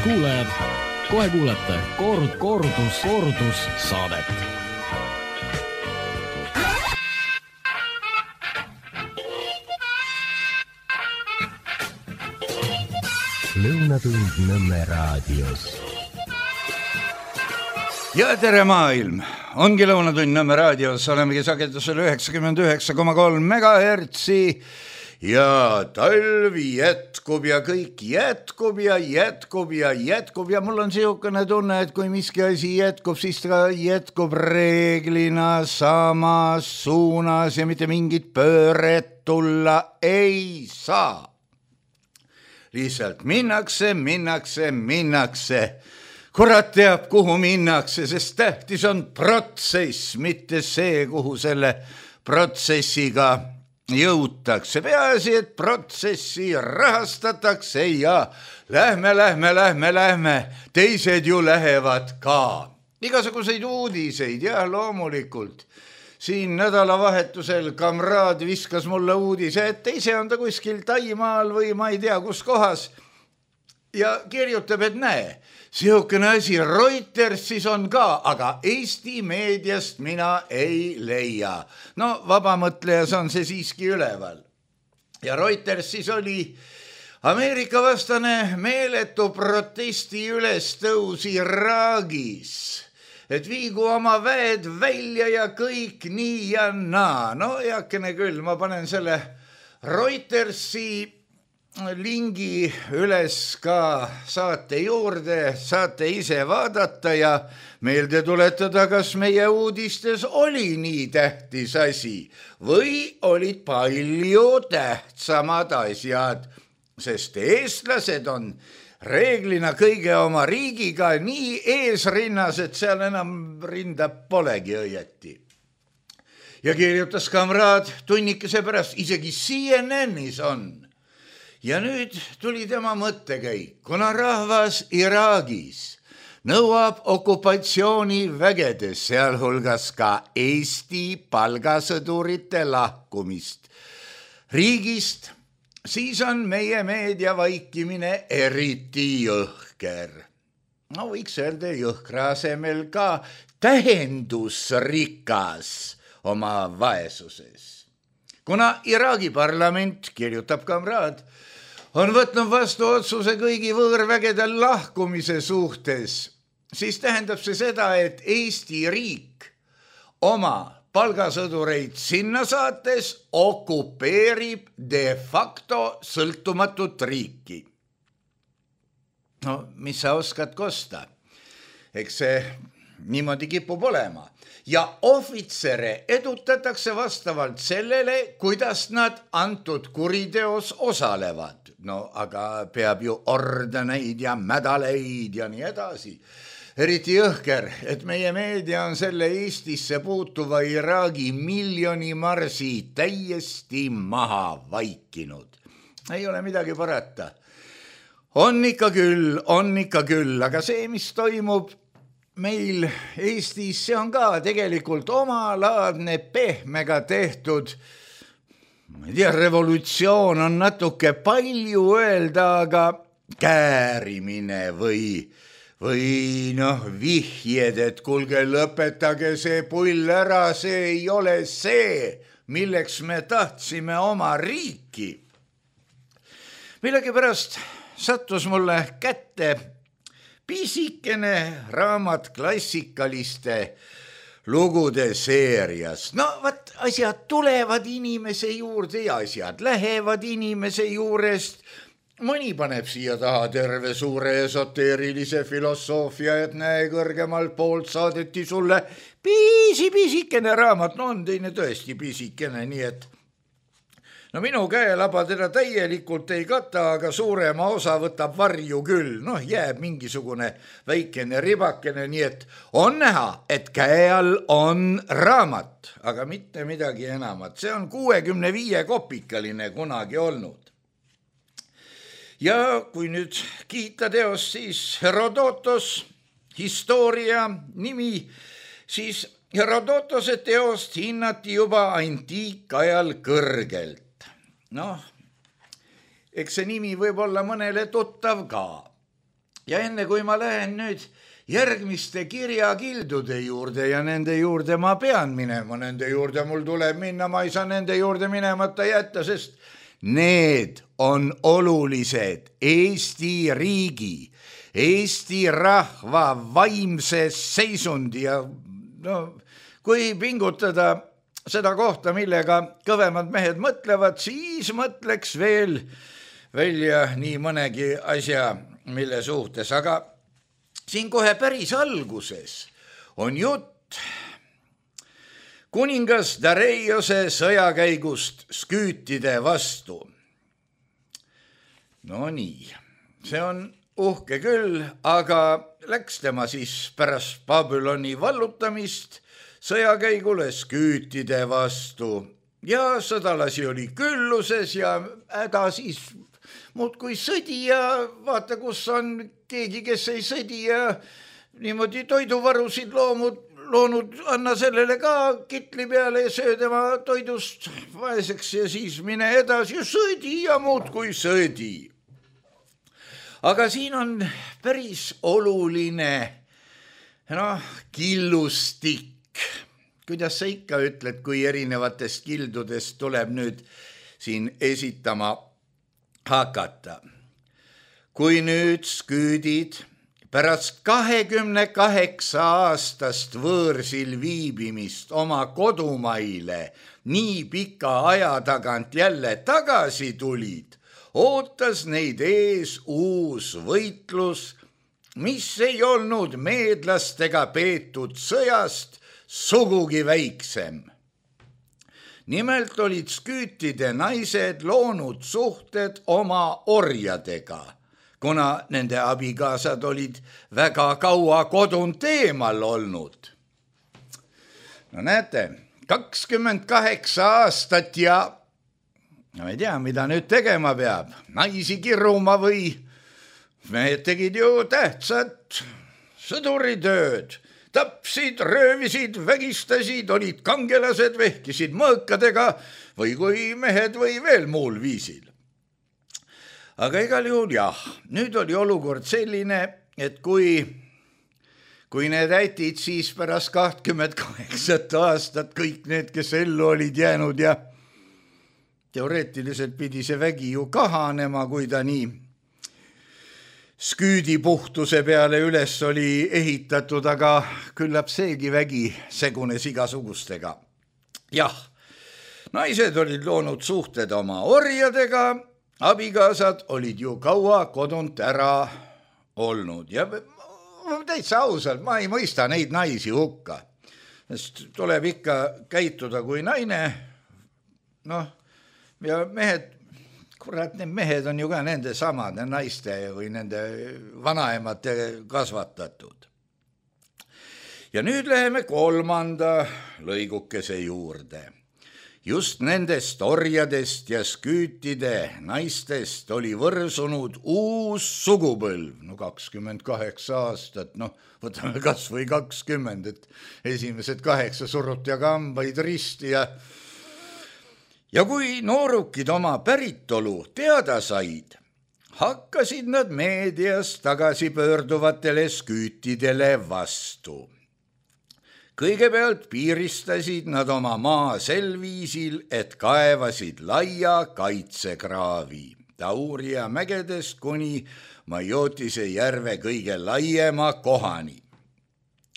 kuulajad, kohe kuulete kordus saadet. Lõunatund Nõmme raadios. Ja tere maailm! Ongi Lõunatund Nõmme raadios, olemegi sagedusel 99,3 megahertsi ja talv jätkub ja kõik jätkub ja mul on siukene tunne, et kui miski asi jätkub, siis ta jätkub reeglina samas suunas ja mitte mingit pööret tulla ei saa. Lihtsalt minnakse. Kurat teab, kuhu minnakse, sest tähtis on protsess, mitte see, kuhu selle protsessiga jõutakse. Peaasi, et protsessi rahastatakse ja lähme. Teised ju lähevad ka. Igasuguseid uudiseid, jah, loomulikult. Siin nädalavahetusel kamraad viskas mulle uudise, et ise on ta kuskil Taimaal või ma ei tea kus kohas ja kirjutab, et näe, siukene asi Reutersis on ka, aga Eesti meediast mina ei leia. No vabamõtlejas on see siiski üleval. Ja Reutersis oli Ameerika vastane meeletu protesti ülestõus Iraagis. Et viigu oma väed välja ja kõik nii ja naa. No heakene küll, ma panen selle Reutersi lingi üles ka saate juurde, saate ise vaadata ja meelde tuletada, kas meie uudistes oli nii tähtis asi või olid palju tähtsamad asjad, sest eestlased on reeglina kõige oma riigiga nii eesrinnas, et seal enam rinda polegi õieti. Ja kirjutas kamraad tunnikese pärast, isegi CNN-is on. Ja nüüd tuli tema mõttekäik, kuna rahvas Iraagis nõuab okupatsioonivägedes, sealhulgas ka Eesti palgasõdurite lahkumist riigist, siis on meie meedia vaikimine eriti jõhker. No võiks öelda jõhkra asemel ka tähendusrikas oma vaesuses. Kuna Iraagi parlament, kirjutab kamraad, on võtnud vastu otsuse kõigi võõrvägede lahkumise suhtes, siis tähendab see seda, et Eesti riik oma palgasõdureid sinna saates okupeerib de facto sõltumatut riiki. No, mis sa oskad kosta? Eks see niimoodi kipub olema. Ja ohvitsere edutatakse vastavalt sellele, kuidas nad antud kuriteos osalevad. No, aga peab ju ordeneid ja medaleid ja nii edasi. Eriti jõhker, et meie meedia on selle Eestisse puutuva Iraagi miljonimarsi täiesti maha vaikinud. Ei ole midagi parata. On ikka küll, aga see, mis toimub meil Eestis, see on ka tegelikult omalaadne pehmega tehtud, ma ei tea, revolutsioon on natuke palju öelda, aga käärimine või vihjed, et kuulge, lõpetage see pull ära, see ei ole see, milleks me tahtsime oma riiki. Millegipärast sattus mulle kätte pisikene raamat klassikaliste lugude seerias. No vaat, asjad tulevad inimese juurde ja asjad lähevad inimese juurest. Mõni paneb siia taha terve suure esoteerilise filosoofia, et näe, kõrgemalt poolt saadeti sulle pisikene raamat. No on teine tõesti pisikene, nii et no minu käelaba teda täielikult ei kata, aga suurema osa võtab varju küll. Noh, jääb mingisugune väikene ribakene, nii et on näha, et käe all on raamat, aga mitte midagi enamat. See on 65 kopikaline kunagi olnud. Ja kui nüüd kiita teost, siis Herodotos, historia nimi, siis Herodotose teost hinnati juba antiikajal kõrgelt. Noh, eks see nimi võib olla mõnele tuttav ka. ja enne kui ma lähen nüüd järgmiste kirjakildude juurde ja nende juurde ma pean minema, nende juurde mul tuleb minna, ma ei saa nende juurde minemata jätta, sest need on olulised Eesti riigi, Eesti rahva vaimse seisundi ja kui pingutada seda kohta, millega kõvemad mehed mõtlevad, siis mõtleks veel välja nii mõnegi asja, mille suhtes, aga siin kohe päris alguses on jutt kuningas Dareiose sõjakäigust sküütide vastu. No nii, see on uhke küll, aga läks tema siis pärast Babyloni vallutamist sõjakäigule sküütide vastu ja sõdalasi oli külluses ja häda siis muudkui sõdi ja vaata, kus on keegi, kes ei sõdi ja niimoodi toiduvarusid loonud, anna sellele ka kitli peale ja söö tema toidust vaeseks ja siis mine edasi ja sõdi ja muudkui sõdi. Aga siin on päris oluline killustik. Kuidas sa ikka ütled, kui erinevatest kildudest tuleb nüüd siin esitama hakata? Kui nüüd sküüdid pärast 28 aastast võõrsil viibimist oma kodumaile nii pika aja tagant jälle tagasi tulid, ootas neid ees uus võitlus, mis ei olnud meedlastega peetud sõjast sugugi väiksem. Nimelt olid sküütide naised loonud suhted oma orjadega, kuna nende abikaasad olid väga kaua kodunt eemal olnud. No näete, 28 aastat ja ma ei tea, mida nüüd tegema peab, naisi kiruma või mehed tegid ju tähtsat sõduritööd. Tapsid, röövisid, vägistasid, olid kangelased, vehkisid mõõkadega või kui mehed või veel muul viisil. Aga igal juhul jah, nüüd oli olukord selline, et kui need ätid siis pärast 28 aastat kõik need, kes ellu olid jäänud ja teoreetiliselt pidi see vägi ju kahanema, kui ta nii sküüdipuhtuse peale üles oli ehitatud, aga küllap seegi vägi segunes igasugustega. Jah, naised olid loonud suhted oma orjadega, abikaasad olid ju kaua kodunt ära olnud ja täitsa ausalt, ma ei mõista neid naisi hukka, sest tuleb ikka käituda kui naine, ja mehed, kurat, need mehed on ju ka nende samade naiste või nende vanaemate kasvatatud. Ja nüüd läheme 3. lõigukese juurde. Just nendest orjadest ja sküütide naistest oli võrsunud uus sugupõlv. 28 aastat, võtame kas või 20, et esimesed 8 suruti aga hambaid risti ja kui noorukid oma päritolu teada said, hakkasid nad meedias tagasi pöörduvatele sküütidele vastu. Kõigepealt piiristasid nad oma maa sel viisil, et kaevasid laia kaitsekraavi Tauria mägedest kuni Majotise järve kõige laiema kohani.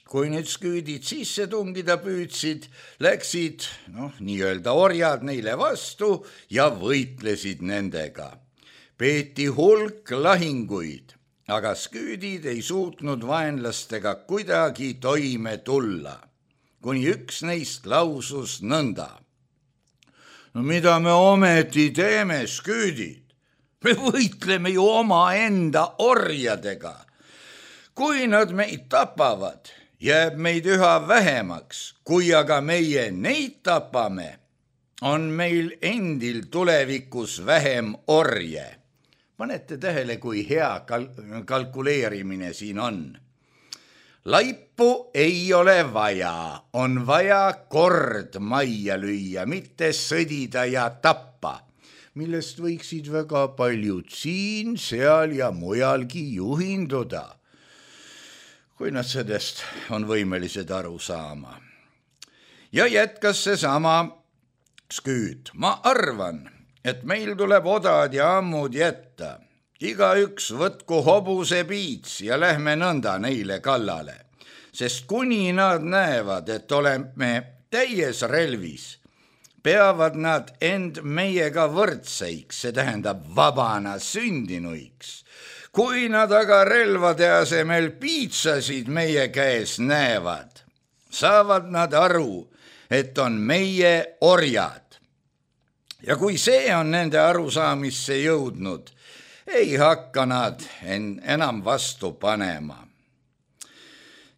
Kui nüüd sküüdid sisse tungida püüdsid, läksid nii-öelda orjad neile vastu ja võitlesid nendega. Peeti hulk lahinguid, aga sküüdid ei suutnud vaenlastega kuidagi toime tulla, kuni üks neist lausus nõnda. Mida me ometi teeme, sküüdid? Me võitleme ju omaenda orjadega. Kui nad meid tapavad, jääb meid üha vähemaks, kui aga meie neid tapame, on meil endil tulevikus vähem orje. Panete tähele, kui hea kalkuleerimine siin on. Laipu ei ole vaja, on vaja kord majja lüüa, mitte sõdida ja tappa. millest võiksid väga paljud siin, seal ja mujalgi juhinduda, kui nad sellest on võimelised aru saama. Ja jätkas seesama Sküüt. Ma arvan, et meil tuleb odad ja ammud jätta. Igaüks võtku hobuse piits ja lähme nõnda neile kallale, sest kuni nad näevad, et oleme täies relvis, peavad nad end meiega võrdseiks, see tähendab vabana sündinuiks. Kui nad aga relvade asemel piitsasid meie käes näevad, saavad nad aru, et on meie orjad. Ja kui see on nende arusaamisse jõudnud, ei hakka nad enam vastu panema.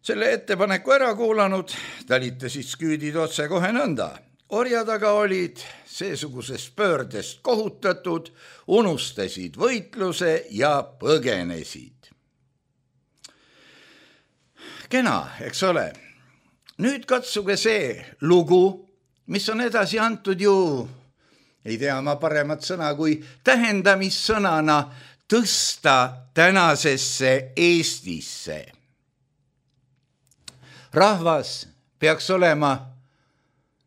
Selle ettepaneku ära kuulanud, talitasid Sküüdid otse kohe nõnda. Orjad aga olid seesugusest pöördest kohutatud, unustasid võitluse ja põgenesid. Kena, eks ole? Nüüd katsuge see lugu, mis on edasi antud ju, ei tea ma paremat sõna kui tähendamissõnana tõsta tänasesse Eestisse. Rahvas peaks olema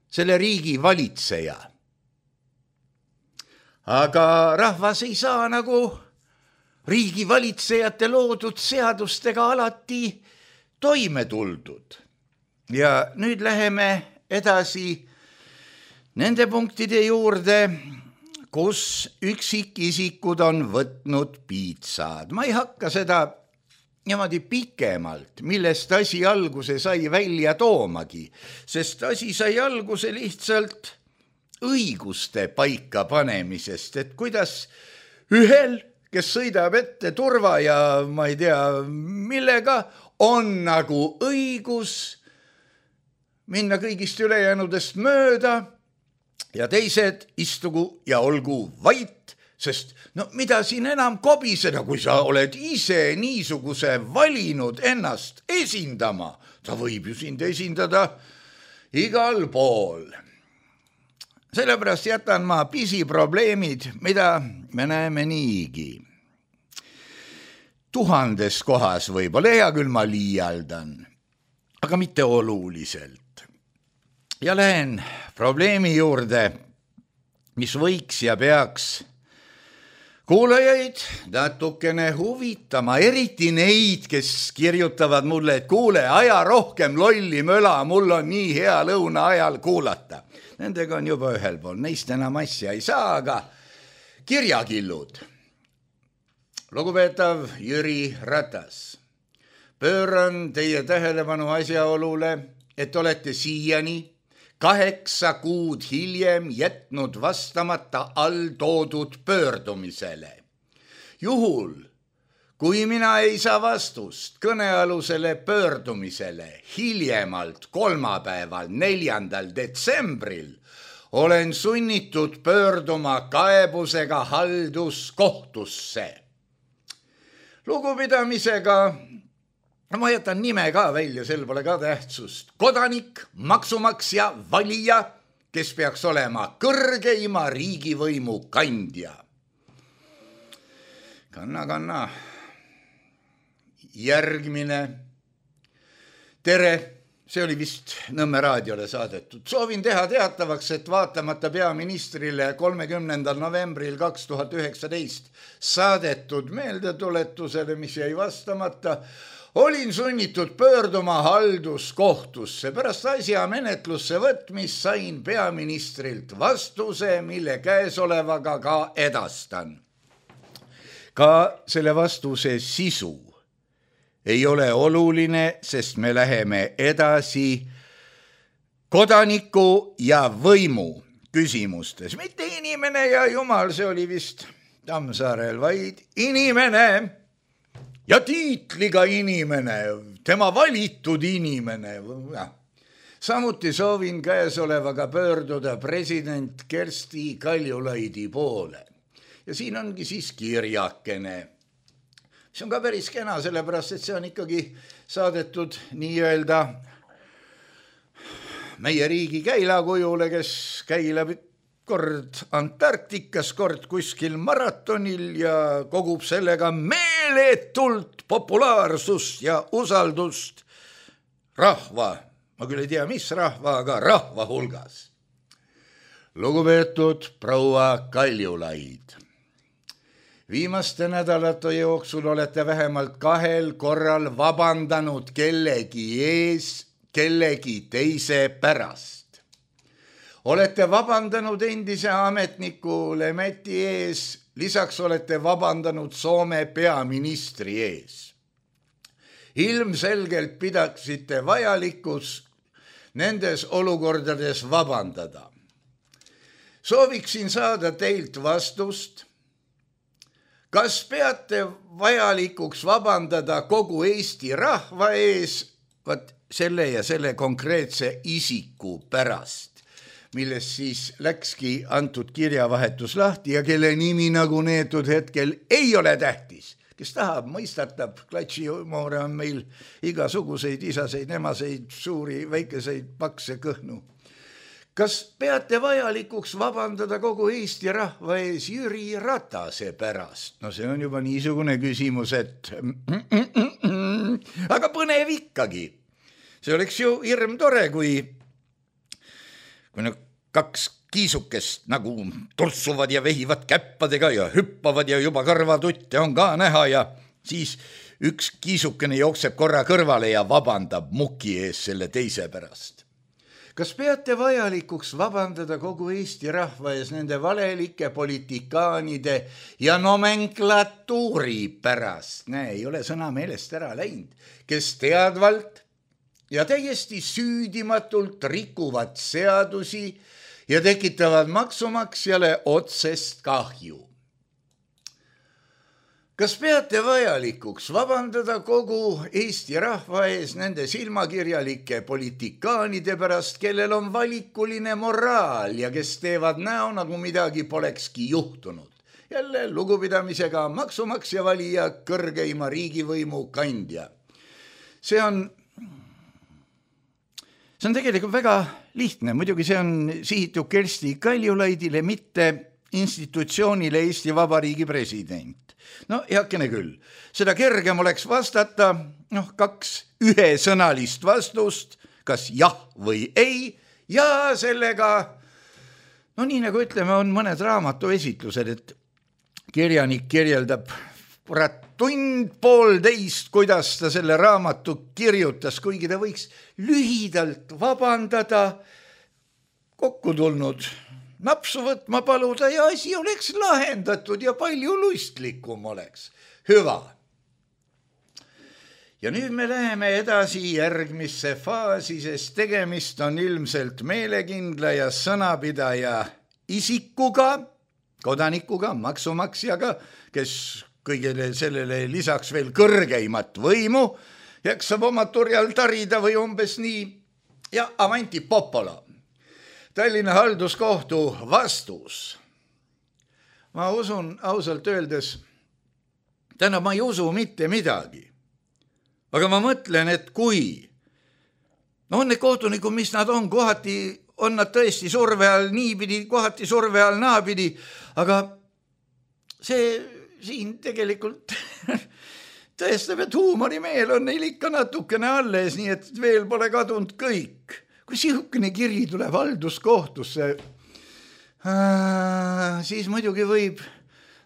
selle riigi valitseja. Aga rahvas ei saa nagu riigi valitsejate loodud seadustega alati toime tuldud. Ja nüüd läheme edasi nende punktide juurde, kus üksikisikud on võtnud piitsad. Ma ei hakka seda niimoodi pikemalt, millest asi alguse sai välja toomagi, sest asi sai alguse lihtsalt õiguste paika panemisest, et kuidas ühel, kes sõidab ette turva ja ma ei tea millega, on nagu õigus minna kõigist ülejäänudest mööda, ja teised istugu ja olgu vait, sest no mida siin enam kobiseda, kui sa oled ise niisuguse valinud ennast esindama. Ta võib ju sind esindada igal pool. Sellepärast jätan ma pisiprobleemid, mida me näeme niigi. 1000 kohas võib-olla, hea küll ma liialdan, aga mitte oluliselt. Ja lähen probleemi juurde, mis võiks ja peaks kuulajaid natukene huvitama, eriti neid, kes kirjutavad mulle, et kuule, aja rohkem lolli möla, mul on nii hea lõuna ajal kuulata. Nendega on juba ühel pool, neist enam asja ei saa, aga kirjakillud. Lugupeetav Jüri Ratas, pööran teie tähelepanu asjaolule, et olete siiani 8 kuud hiljem jätnud vastamata alltoodud pöördumisele. Juhul, kui mina ei saa vastust kõnealusele pöördumisele hiljemalt kolmapäeval 4. detsembril, olen sunnitud pöörduma kaebusega halduskohtusse. Lugupidamisega, ma jätan nime ka välja, sel pole ka tähtsust. Kodanik, maksumaksja, valija, kes peaks olema kõrgeima riigivõimu kandja. Kanna. Järgmine. Tere, see oli vist Nõmme raadiole saadetud. Soovin teha teatavaks, et vaatamata peaministrile 30. novembril 2019 saadetud meeldetuletusele, mis jäi vastamata, olin sunnitud pöörduma halduskohtusse. Pärast asja menetlusse võtmist sain peaministrilt vastuse, mille käesolevaga ka edastan. Ka selle vastuse sisu ei ole oluline, sest me läheme edasi kodaniku ja võimu küsimustes. Mitte inimene ja jumal, see oli vist Tammsaarel, vaid inimene ja tiitliga inimene, tema valitud inimene. Samuti soovin käesolevaga pöörduda president Kersti Kaljulaidi poole. Ja siin ongi siis kirjakene. See on ka päris kena, sellepärast, et see on ikkagi saadetud nii-öelda meie riigi käilakujule, kes käilab kord Antarktikas, kord kuskil maratonil ja kogub sellega meeletult populaarsust ja usaldust rahva, ma küll ei tea, mis rahva, aga rahva hulgas. Lugupeetud proua Kaljulaid, viimaste nädalate jooksul olete vähemalt 2 korral vabandanud kellegi ees, kellegi teise pärast. Olete vabandanud endise ametniku Lemetti ees, lisaks olete vabandanud Soome peaministri ees. Ilmselgelt pidaksite vajalikus nendes olukordades vabandada. Sooviksin saada teilt vastust, kas peate vajalikuks vabandada kogu Eesti rahva ees selle ja selle konkreetse isiku pärast, millest siis läkski antud kirjavahetus lahti ja kelle nimi nagu neetud hetkel ei ole tähtis. Kes tahab, mõistatab, klatšihuumore on meil igasuguseid isaseid, emaseid, suuri, väikeseid, pakse, kõhnu. Kas peate vajalikuks vabandada kogu Eesti rahva ees Jüri Ratase pärast? No see on juba niisugune küsimus, et aga põnev ikkagi. See oleks ju hirm tore, kui 2 kiisukest nagu tursuvad ja vehivad käppadega ja hüppavad ja juba kõrvatutte on ka näha ja siis üks kiisukene jookseb korra kõrvale ja vabandab muki ees selle teise pärast. Kas peate vajalikuks vabandada kogu Eesti rahva ees nende valelike politikaanide ja nomenklatuuri pärast? Ei ole sõna meelest ära läinud, kes teadvalt ja täiesti süüdimatult rikuvad seadusi ja tekitavad maksumaksjale otsest kahju. Kas peate vajalikuks vabandada kogu Eesti rahva ees nende silmakirjalike politikaanide pärast, kellel on valikuline moraal ja kes teevad näo, nagu midagi polekski juhtunud? Jälle lugupidamisega maksumaksja valija, kõrgeima riigivõimu kandja. See on tegelikult väga lihtne, muidugi see on sihitud Kersti Kaljulaidile, mitte institutsioonile Eesti Vabariigi president. No heakene küll, seda kergem oleks vastata 2 ühesõnalist vastust, kas jah või ei, ja sellega, nii nagu ütleme, on mõned raamatuesitlused, et kirjanik kirjeldab tund-poolteist, kuidas ta selle raamatu kirjutas, kuigi ta võiks lühidalt vabandada, kokku tulnud napsu võtma paluda ja asi oleks lahendatud ja palju lustlikum oleks. Hüva. Ja nüüd me läheme edasi järgmisse faasi, sest tegemist on ilmselt meelekindla ja sõnapidaja isikuga, kodanikuga, maksumaksjaga, kes kõigele sellele lisaks veel kõrgeimat võimu jaksab oma turjal tarida või umbes nii. Ja avanti popolo. Tallinna halduskohtu vastus. Ma usun ausalt öeldes, ma ei usu mitte midagi. Aga ma mõtlen, et kui on need kohtunikud, mis nad on, kohati on nad tõesti surve all niipidi, kohati surve all naapidi, aga see siin tegelikult tõestab, et huumorimeel on neil ikka natukene alles, nii et veel pole kadunud kõik. Kui sihukene kiri tuleb halduskohtusse, siis muidugi võib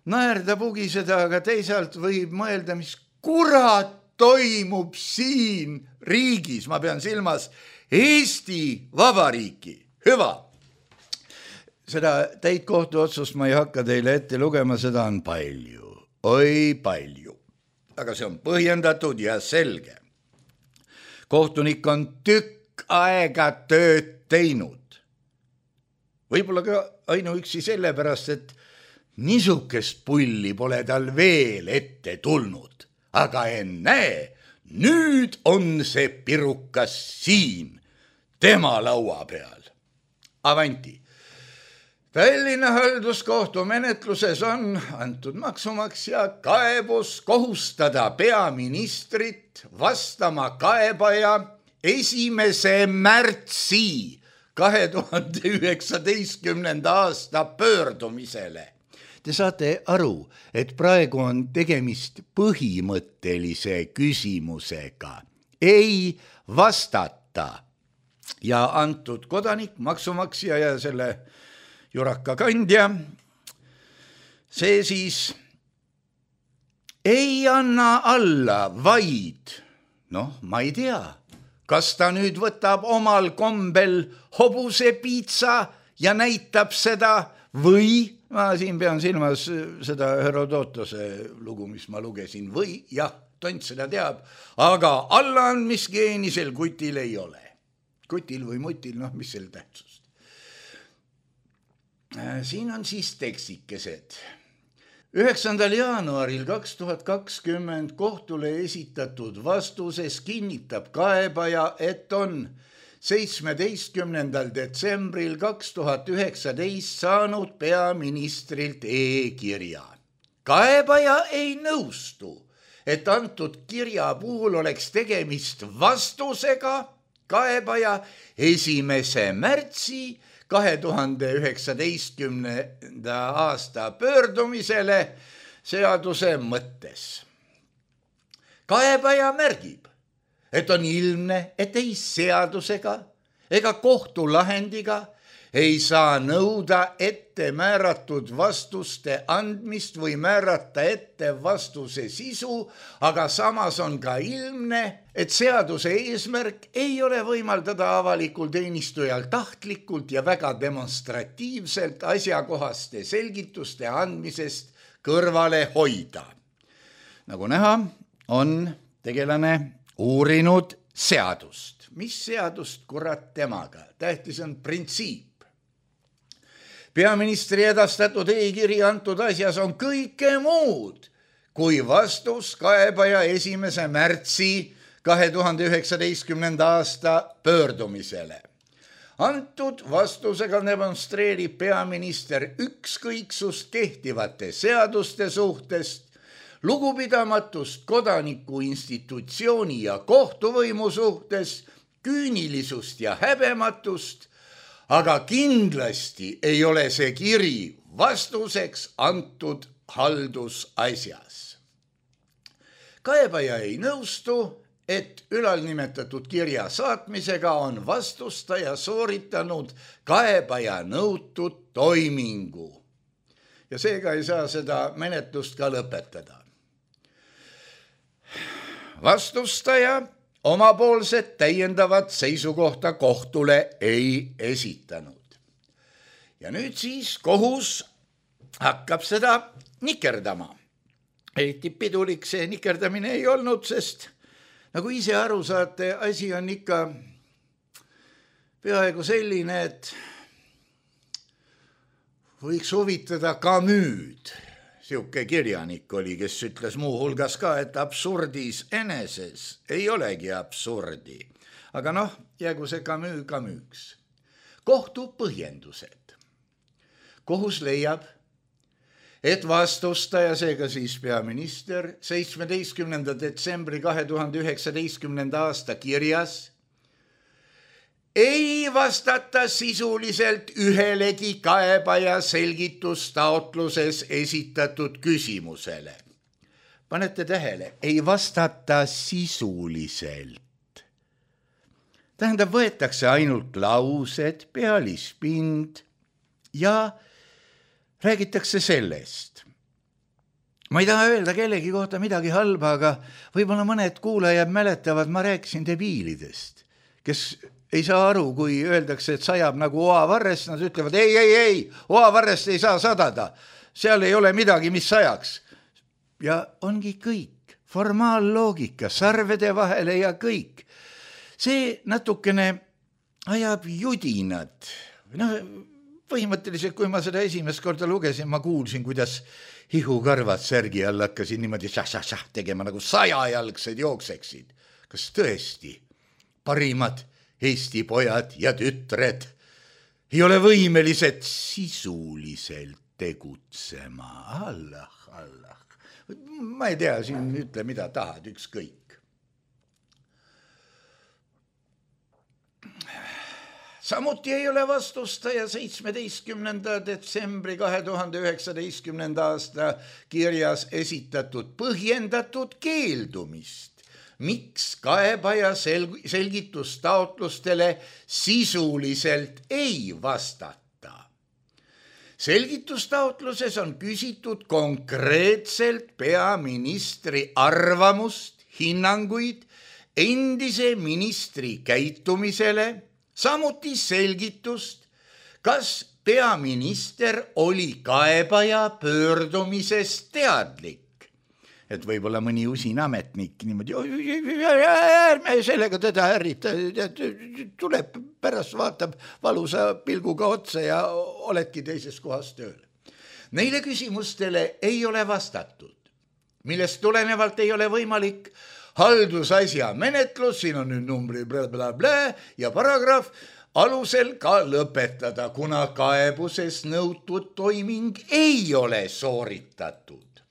naerda pugiseda, aga teisalt võib mõelda, mis kurat toimub siin riigis. Ma pean silmas Eesti Vabariiki. Hüva. Seda täitkohtu otsust ma ei hakka teile ette lugema, seda on palju. Oi palju. Aga see on põhjendatud ja selge. Kohtunik on tükk aega tööd teinud. Võib-olla ka ainuüksi sellepärast, et niisugust pulli pole tal veel ette tulnud. Aga ennäe, nüüd on see pirukas siin, tema laua peal. Avanti. Tallinna halduskohtu menetluses on antud maksumaksja kaebus kohustada peaministrit vastama kaebaja 1. märtsi 2019. aasta pöördumisele. Te saate aru, et praegu on tegemist põhimõttelise küsimusega. Ei vastata. Ja antud kodanik, maksumaksja ja selle juraka kandja, see siis ei anna alla, vaid, ma ei tea, kas ta nüüd võtab omal kombel hobusepiitsa ja näitab seda või, ma siin pean silmas seda Herodotose lugu, mis ma lugesin, või jah, tont seda teab, aga allaandmisgeeni sel kutil ei ole. Kutil või mutil, mis selle tähtsust. Siin on siis teksikesed. 9. jaanuaril 2020 kohtule esitatud vastuses kinnitab kaebaja, et on 17. detsembril 2019 saanud peaministrilt e-kirja. Kaebaja ei nõustu, et antud kirja puhul oleks tegemist vastusega kaebaja 1. märtsi 2019. aasta pöördumisele seaduse mõttes. Kaebaja märgib, et on ilmne, et ei seadusega ega kohtulahendiga ei saa nõuda ette määratud vastuste andmist või määrata ette vastuse sisu, aga samas on ka ilmne, et seaduse eesmärk ei ole võimaldada avalikul teenistujal tahtlikult ja väga demonstratiivselt asjakohaste selgituste andmisest kõrvale hoida. Nagu näha, on tegelane uurinud seadust. Mis seadust, kurat temaga? Tähtis on printsiip. Peaministri edastatud e-kiri antud asjas on kõike muud kui vastus kaebaja 1. märtsi 2019. aasta pöördumisele. Antud vastusega demonstreerib peaminister ükskõiksust kehtivate seaduste suhtest, lugupidamatust kodaniku institutsiooni ja kohtuvõimu suhtes, küünilisust ja häbematust, aga kindlasti ei ole see kiri vastuseks antud haldusasjas. Kaebaja ei nõustu, et ülalnimetatud kirja saatmisega on vastustaja sooritanud kaebaja nõutud toimingu. Ja seega ei saa seda menetlust ka lõpetada. Vastustaja omapoolset täiendavat seisukohta kohtule ei esitanud. Ja nüüd siis kohus hakkab seda nikerdama. Eriti pidulik see nikerdamine ei olnud, sest nagu ise aru saate, asi on ikka peaaegu selline, et võiks huvitada Camus. Siuke kirjanik oli, kes ütles muu hulgas ka, et absurdis eneses ei olegi absurdi. Aga jäägu see Camus Camus. Kohtu põhjendused. Kohus leiab, et vastustaja, seega siis peaminister, 17. detsembri 2019. aasta kirjas ei vastata sisuliselt ühelegi kaebaja selgitustaotluses esitatud küsimusele. Panete tähele, ei vastata sisuliselt. Tähendab, võetakse ainult laused, pealispind ja räägitakse sellest. Ma ei taha öelda kellegi kohta midagi halba, aga võib-olla mõned kuulajad mäletavad, ma rääkisin debiilidest, kes ei saa aru, kui öeldakse, et sajab nagu oavarrest, nad ütlevad, ei, oavarrest ei saa sadada, seal ei ole midagi, mis sajaks. Ja ongi kõik, formaalloogika, sarvede vahele ja kõik. See natukene ajab judinad. Põhimõtteliselt, kui ma seda esimest korda lugesin, ma kuulsin, kuidas hihukarvad särgi all hakkasin niimoodi šah tegema, nagu 100-jalgsed jookseksid. Kas tõesti parimad Eesti pojad ja tütred ei ole võimelised sisuliselt tegutsema? Allah. Ma ei tea, siin ütle mida tahad, ükskõik. Samuti ei ole vastustaja 17. detsembri 2019. aasta kirjas esitatud põhjendatud keeldumist, miks kaebaja selgitustaotlustele sisuliselt ei vastata. Selgitustaotluses on küsitud konkreetselt peaministri arvamust, hinnanguid endise ministri käitumisele, samuti selgitust, kas peaminister oli kaebaja pöördumisest teadlik. Et võib-olla mõni usin ametnik niimoodi, ärme sellega teda ärrita, tuleb pärast vaatab valusa pilguga otsa ja oledki teises kohas tööl. Neile küsimustele ei ole vastatud, millest tulenevalt ei ole võimalik haldusasja menetlus, siin on nüüd numbri ja paragrahv, alusel ka lõpetada, kuna kaebuses nõutud toiming ei ole sooritatud.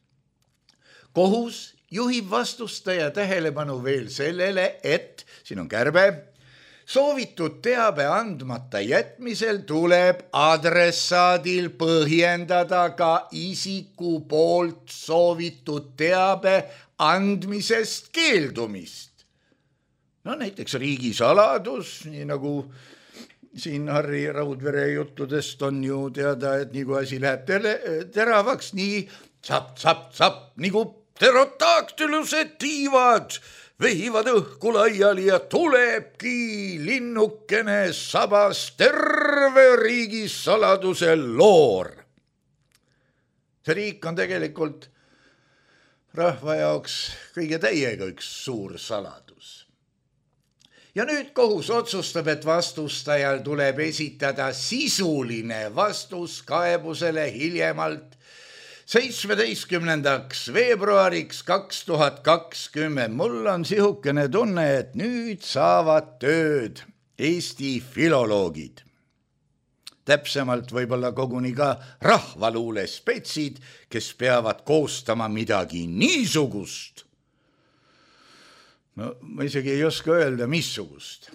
Kohus juhib vastustaja tähelepanu veel sellele, et, siin on kärbe, soovitud teabe andmata jätmisel tuleb adressaadil põhjendada ka isiku poolt soovitud teabe andmisest keeldumist. No näiteks riigisaladus, nii nagu siin Harri Raudvere juttudest on ju teada, et nii kui asi läheb teravaks, nii tsap, nagu pterodaktylused tiivad, vehivad õhku laiali ja tulebki linnukene sabas terve riigisaladuse loor. See riik on tegelikult rahva jaoks kõige täiega üks suur saladus. Ja nüüd kohus otsustab, et vastustajal tuleb esitada sisuline vastus kaebusele hiljemalt 17. veebruariks 2020. Mul on sihukene tunne, et nüüd saavad tööd Eesti filoloogid. Täpsemalt võib-olla koguni ka rahvaluule spetsid, kes peavad koostama midagi niisugust. No ma isegi ei oska öelda, missugust.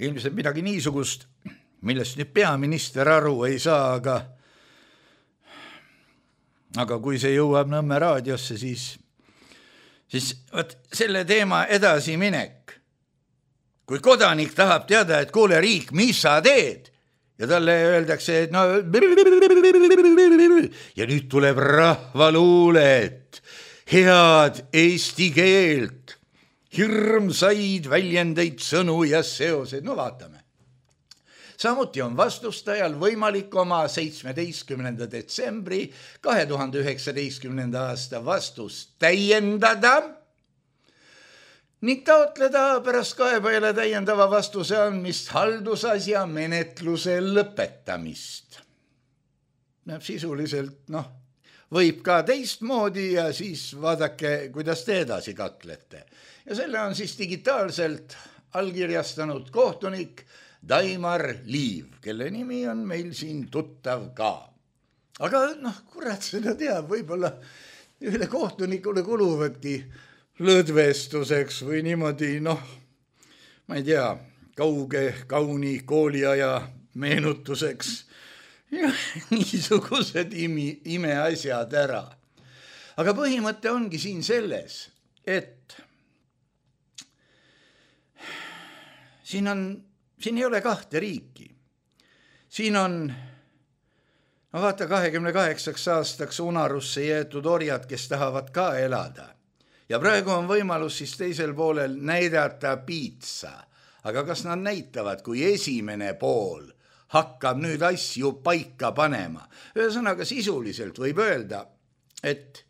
Ilmselt midagi niisugust, millest nüüd peaminister aru ei saa, aga kui see jõuab Nõmme raadiosse, siis võt selle teema edasi minek. Kui kodanik tahab teada, et kuule riik, mis sa teed? Ja talle öeldakse, et no ja nüüd tuleb rahvaluulet, head eesti keelt, hirmsaid väljendeid, sõnu ja seoseid. No vaatame. Samuti on vastustajal võimalik oma 17. detsembri 2019. aasta vastust täiendada ning taotleda pärast kaebajale täiendava vastuse andmist haldusasja menetluse lõpetamist. Sisuliselt, võib ka teistmoodi ja siis vaadake, kuidas te edasi kaklete. Ja selle on siis digitaalselt allkirjastanud kohtunik Daimar Liiv, kelle nimi on meil siin tuttav ka. Aga kurat seda teab, võib-olla ühele kohtunikule kuluvadki lõdvestuseks või niimoodi, ma ei tea, kauni kooliaja meenutuseks ja niisugused imeasjad ära. Aga põhimõte ongi siin selles, et siin ei ole kahte riiki. Siin on, vaata 28 aastaks unarusse jäetud orjad, kes tahavad ka elada. Ja praegu on võimalus siis teisel poolel näidata piitsa. Aga kas nad näitavad, kui esimene pool hakkab nüüd asju paika panema? Ühesõnaga sisuliselt võib öelda, et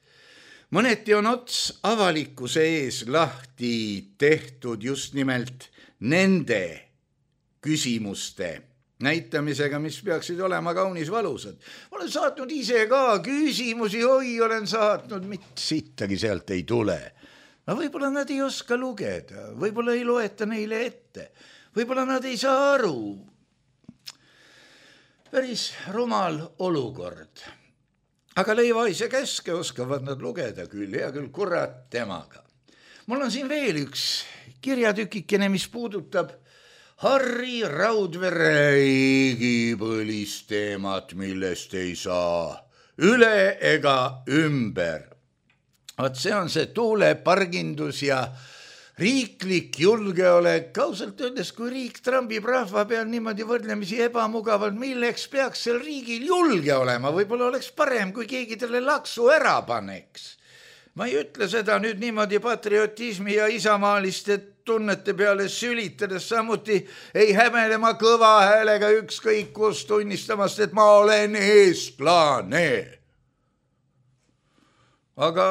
mõneti on ots avalikkuse ees lahti tehtud just nimelt nende küsimuste näitamisega, mis peaksid olema kaunis valusad. Olen saatnud ise ka küsimusi, olen saatnud, mitte sittagi sealt ei tule. Võib-olla nad ei oska lugeda, võib-olla ei loeta neile ette, võib-olla nad ei saa aru. Päris rumal olukord. Aga leivaise käske oskavad nad lugeda küll, hea küll, kurat temaga. Mul on siin veel üks kirjatükikene, mis puudutab Harri Raudvere igipõlist teemat, millest ei saa üle ega ümber. Vaat see on see tuulepargindus ja riiklik julgeolek. Ausalt öeldes, kui riik trambib rahva peal niimoodi võrdlemisi ebamugavalt, milleks peaks sel riigil julge olema? Võib-olla oleks parem, kui keegi talle laksu ära paneks. Ma ei ütle seda nüüd niimoodi patriotismi ja isamaaliste tunnete peale sülitades, samuti ei häbenema kõva häälega ükskõik kus tunnistamast, et ma olen eestlane. Aga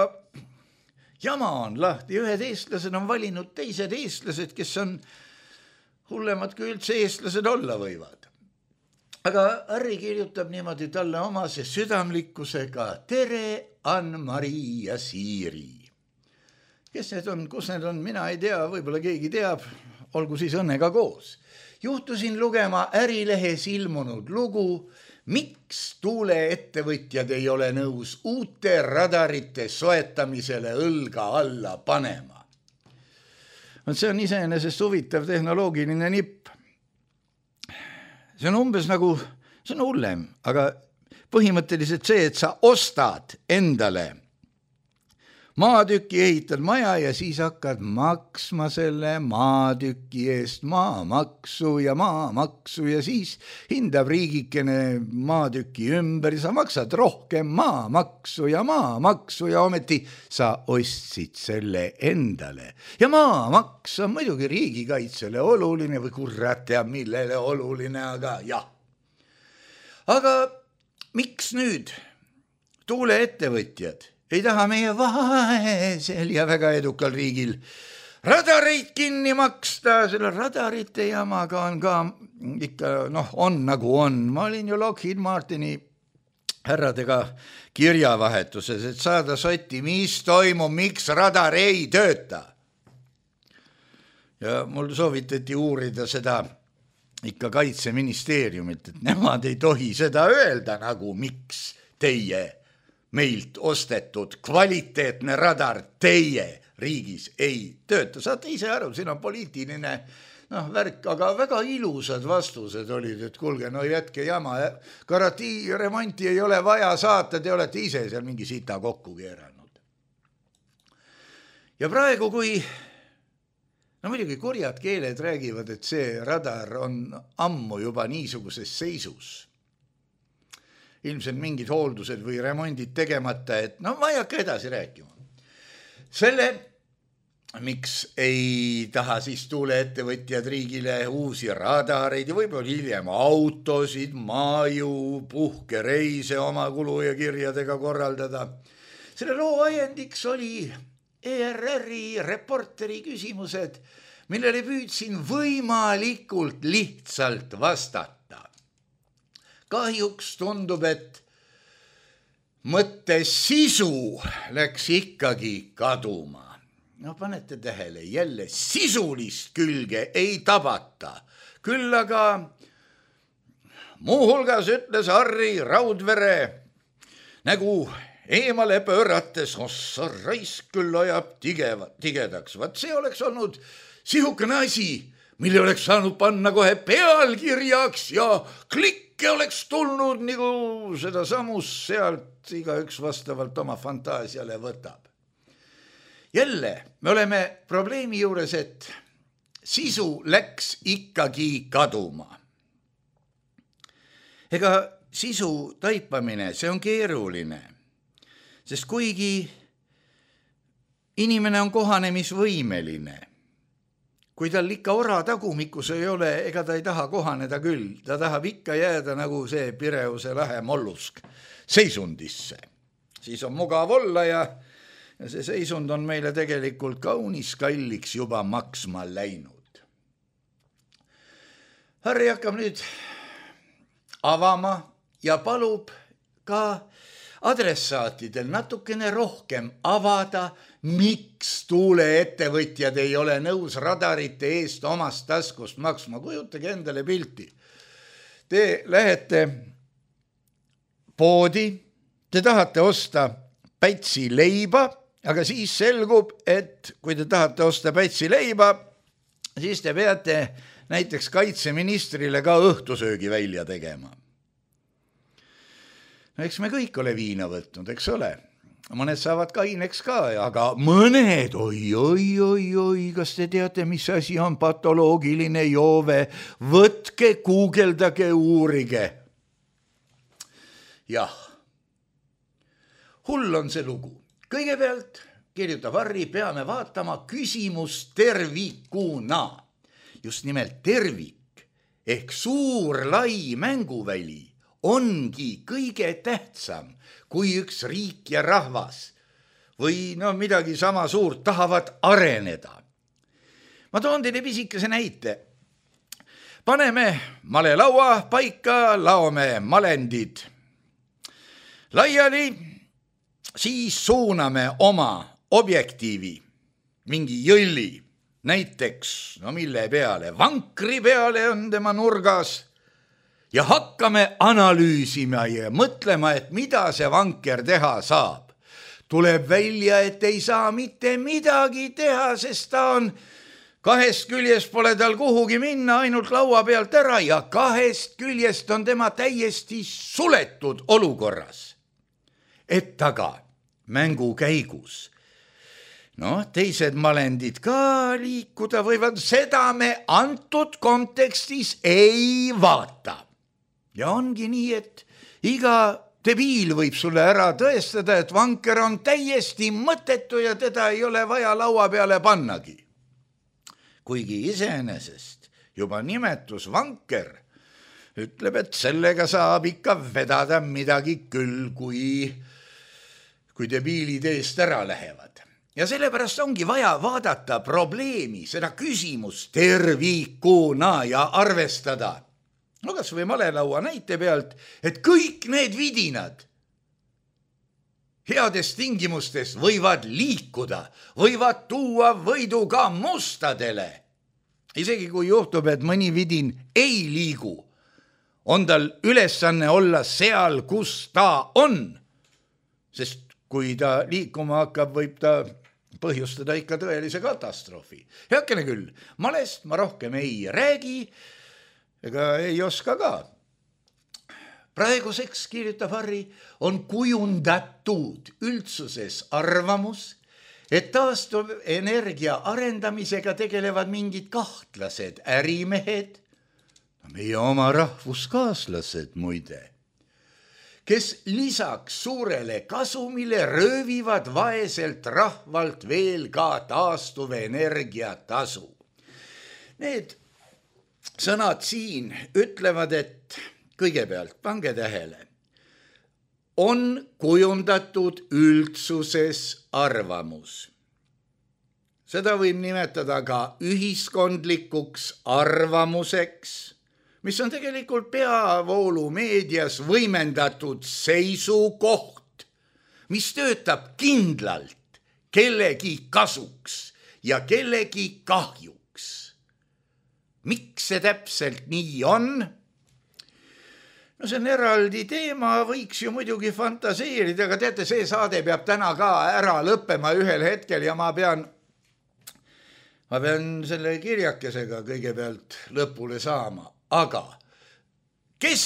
jama on lahti, ühed eestlased on valinud teised eestlased, kes on hullemad kui üldse eestlased olla võivad. Aga Harri kirjutab niimoodi talle omase südamlikkusega: tere, Ann-Mari ja Siiri. Kes need on, kus need on, mina ei tea, võib-olla keegi teab, olgu siis õnnega koos. Juhtusin lugema Ärilehes ilmunud lugu, miks tuuleettevõtjad ei ole nõus uute radarite soetamisele õlga alla panema. See on iseenesest huvitav tehnoloogiline nipp. See on umbes nagu, see on hullem, aga põhimõtteliselt see, et sa ostad endale maatüki, ehitad maja ja siis hakkad maksma selle maatüki eest maamaksu ja siis hindab riigikene maatüki ümber ja sa maksad rohkem maamaksu ja ometi sa ostsid selle endale. Ja maamaks on muidugi riigikaitsele oluline või kurat teab millele oluline, aga jah. Aga miks nüüd tuuleettevõtjad ei taha meie vaesel ja väga edukal riigil radareid kinni maksta? Selle radarite jamaga on ka ikka, on nagu on. Ma olin ju Lockheed Martini härradega kirjavahetuses, et saada sotti, mis toimub, miks radar ei tööta. Ja mul soovitati uurida seda ikka Kaitseministeeriumilt, et nemad ei tohi seda öelda, nagu miks teie meilt ostetud kvaliteetne radar teie riigis ei tööta. Saate ise aru, siin on poliitiline värk, aga väga ilusad vastused olid, et kuulge, jätke jama, garantii remonti ei ole vaja saata, te olete ise seal mingi sita kokku keeranud. Ja praegu, kui muidugi kurjad keeled räägivad, et see radar on ammu juba niisuguses seisus, ilmselt mingid hooldused või remondid tegemata, et ma ei hakka edasi rääkima. Selle, miks ei taha siis tuuleettevõtjad riigile uusi radareid ja võib-olla hiljem autosid, maju, puhkereise oma kulu ja kirjadega korraldada. Selle loo ajendiks oli ERR-i reporteri küsimused, millele püüdsin võimalikult lihtsalt vastata. Kahjuks tundub, et mõtte sisu läks ikkagi kaduma. Panete tähele, jälle sisulist külge ei tabata. Küll aga muuhulgas ütles Harri Raudvere nägu eemale pöörates, ossa raisk küll ajab tigedaks. Vaat see oleks olnud sihukene asi, mille oleks saanud panna kohe pealkirjaks ja klikke oleks tulnud, nagu seda samus sealt igaüks vastavalt oma fantaasiale võtab. Jälle, me oleme probleemi juures, et sisu läks ikkagi kaduma. Ega sisu taipamine, see on keeruline, sest kuigi inimene on kohanemisvõimeline, kui tal ikka ora tagumikus ei ole, ega ta ei taha kohaneda küll. Ta tahab ikka jääda nagu see Pireuse lahe mollusk seisundisse. Siis on mugav olla ja see seisund on meile tegelikult kaunis kalliks juba maksma läinud. Harri hakkab nüüd avama ja palub ka adressaatidel natukene rohkem avada, miks tuuleettevõtjad ei ole nõus radarite eest omast taskust maksma. Kujutage endale pilti. Te lähete poodi, te tahate osta pätsi leiba, aga siis selgub, et kui te tahate osta pätsi leiba, siis te peate näiteks kaitseministrile ka õhtusöögi välja tegema. No eks me kõik ole viina võtnud, eks ole. Mõned saavad kaineks ka, aga mõned, oi, kas te teate, mis asi on patoloogiline joove? Võtke, guugeldage, uurige. Jah, hull on see lugu. Kõigepealt kirjutab Harri, peame vaatama küsimust tervikuna. Just nimelt tervik ehk suur lai mänguväli ongi kõige tähtsam, kui üks riik ja rahvas või midagi sama suurt tahavad areneda. Ma toon teile pisikese näite. Paneme malelaua paika, laome malendid laiali, siis suuname oma objektiivi, mingi jõlli, näiteks, mille peale, vankri peale on tema nurgas, ja hakkame analüüsima ja mõtlema, et mida see vanker teha saab. Tuleb välja, et ei saa mitte midagi teha, sest ta on kahest küljest pole tal kuhugi minna, ainult laua pealt ära ja kahest küljest on tema täiesti suletud olukorras. Et aga mängu käigus, teised malendid ka liikuda võivad, seda me antud kontekstis ei vaata. Ja ongi nii, et iga debiil võib sulle ära tõestada, et vanker on täiesti mõttetu ja teda ei ole vaja laua peale pannagi. Kuigi iseenesest juba nimetus vanker ütleb, et sellega saab ikka vedada midagi küll, kui debiilid eest ära lähevad. Ja sellepärast ongi vaja vaadata probleemi, seda küsimust tervikuna ja arvestada. Kas või malelaua näite pealt, et kõik need vidinad heades tingimustes võivad liikuda, võivad tuua võidu ka mustadele. Isegi kui juhtub, et mõni vidin ei liigu, on tal ülesanne olla seal, kus ta on. Sest kui ta liikuma hakkab, võib ta põhjustada ikka tõelise katastroofi. Heakene küll, malest ma rohkem ei räägi, ega ei oska ka. Praeguseks, kirjutab Harri, on kujundatud üldsuses arvamus, et taastuvenergia arendamisega tegelevad mingid kahtlased ärimehed, meie oma rahvuskaaslased muide, kes lisaks suurele kasumile röövivad vaeselt rahvalt veel ka taastuvenergia tasu. Need sõnad siin ütlevad, et kõigepealt, pange tähele, on kujundatud üldsuses arvamus. Seda võib nimetada ka ühiskondlikuks arvamuseks, mis on tegelikult peavoolumeedias võimendatud seisukoht, mis töötab kindlalt kellegi kasuks ja kellegi kahjuks. Miks see täpselt nii on? See on eraldi teema, võiks ju muidugi fantaseerida, aga teate, see saade peab täna ka ära lõppema ühel hetkel ja ma pean selle kirjakesega kõigepealt lõpule saama. Aga kes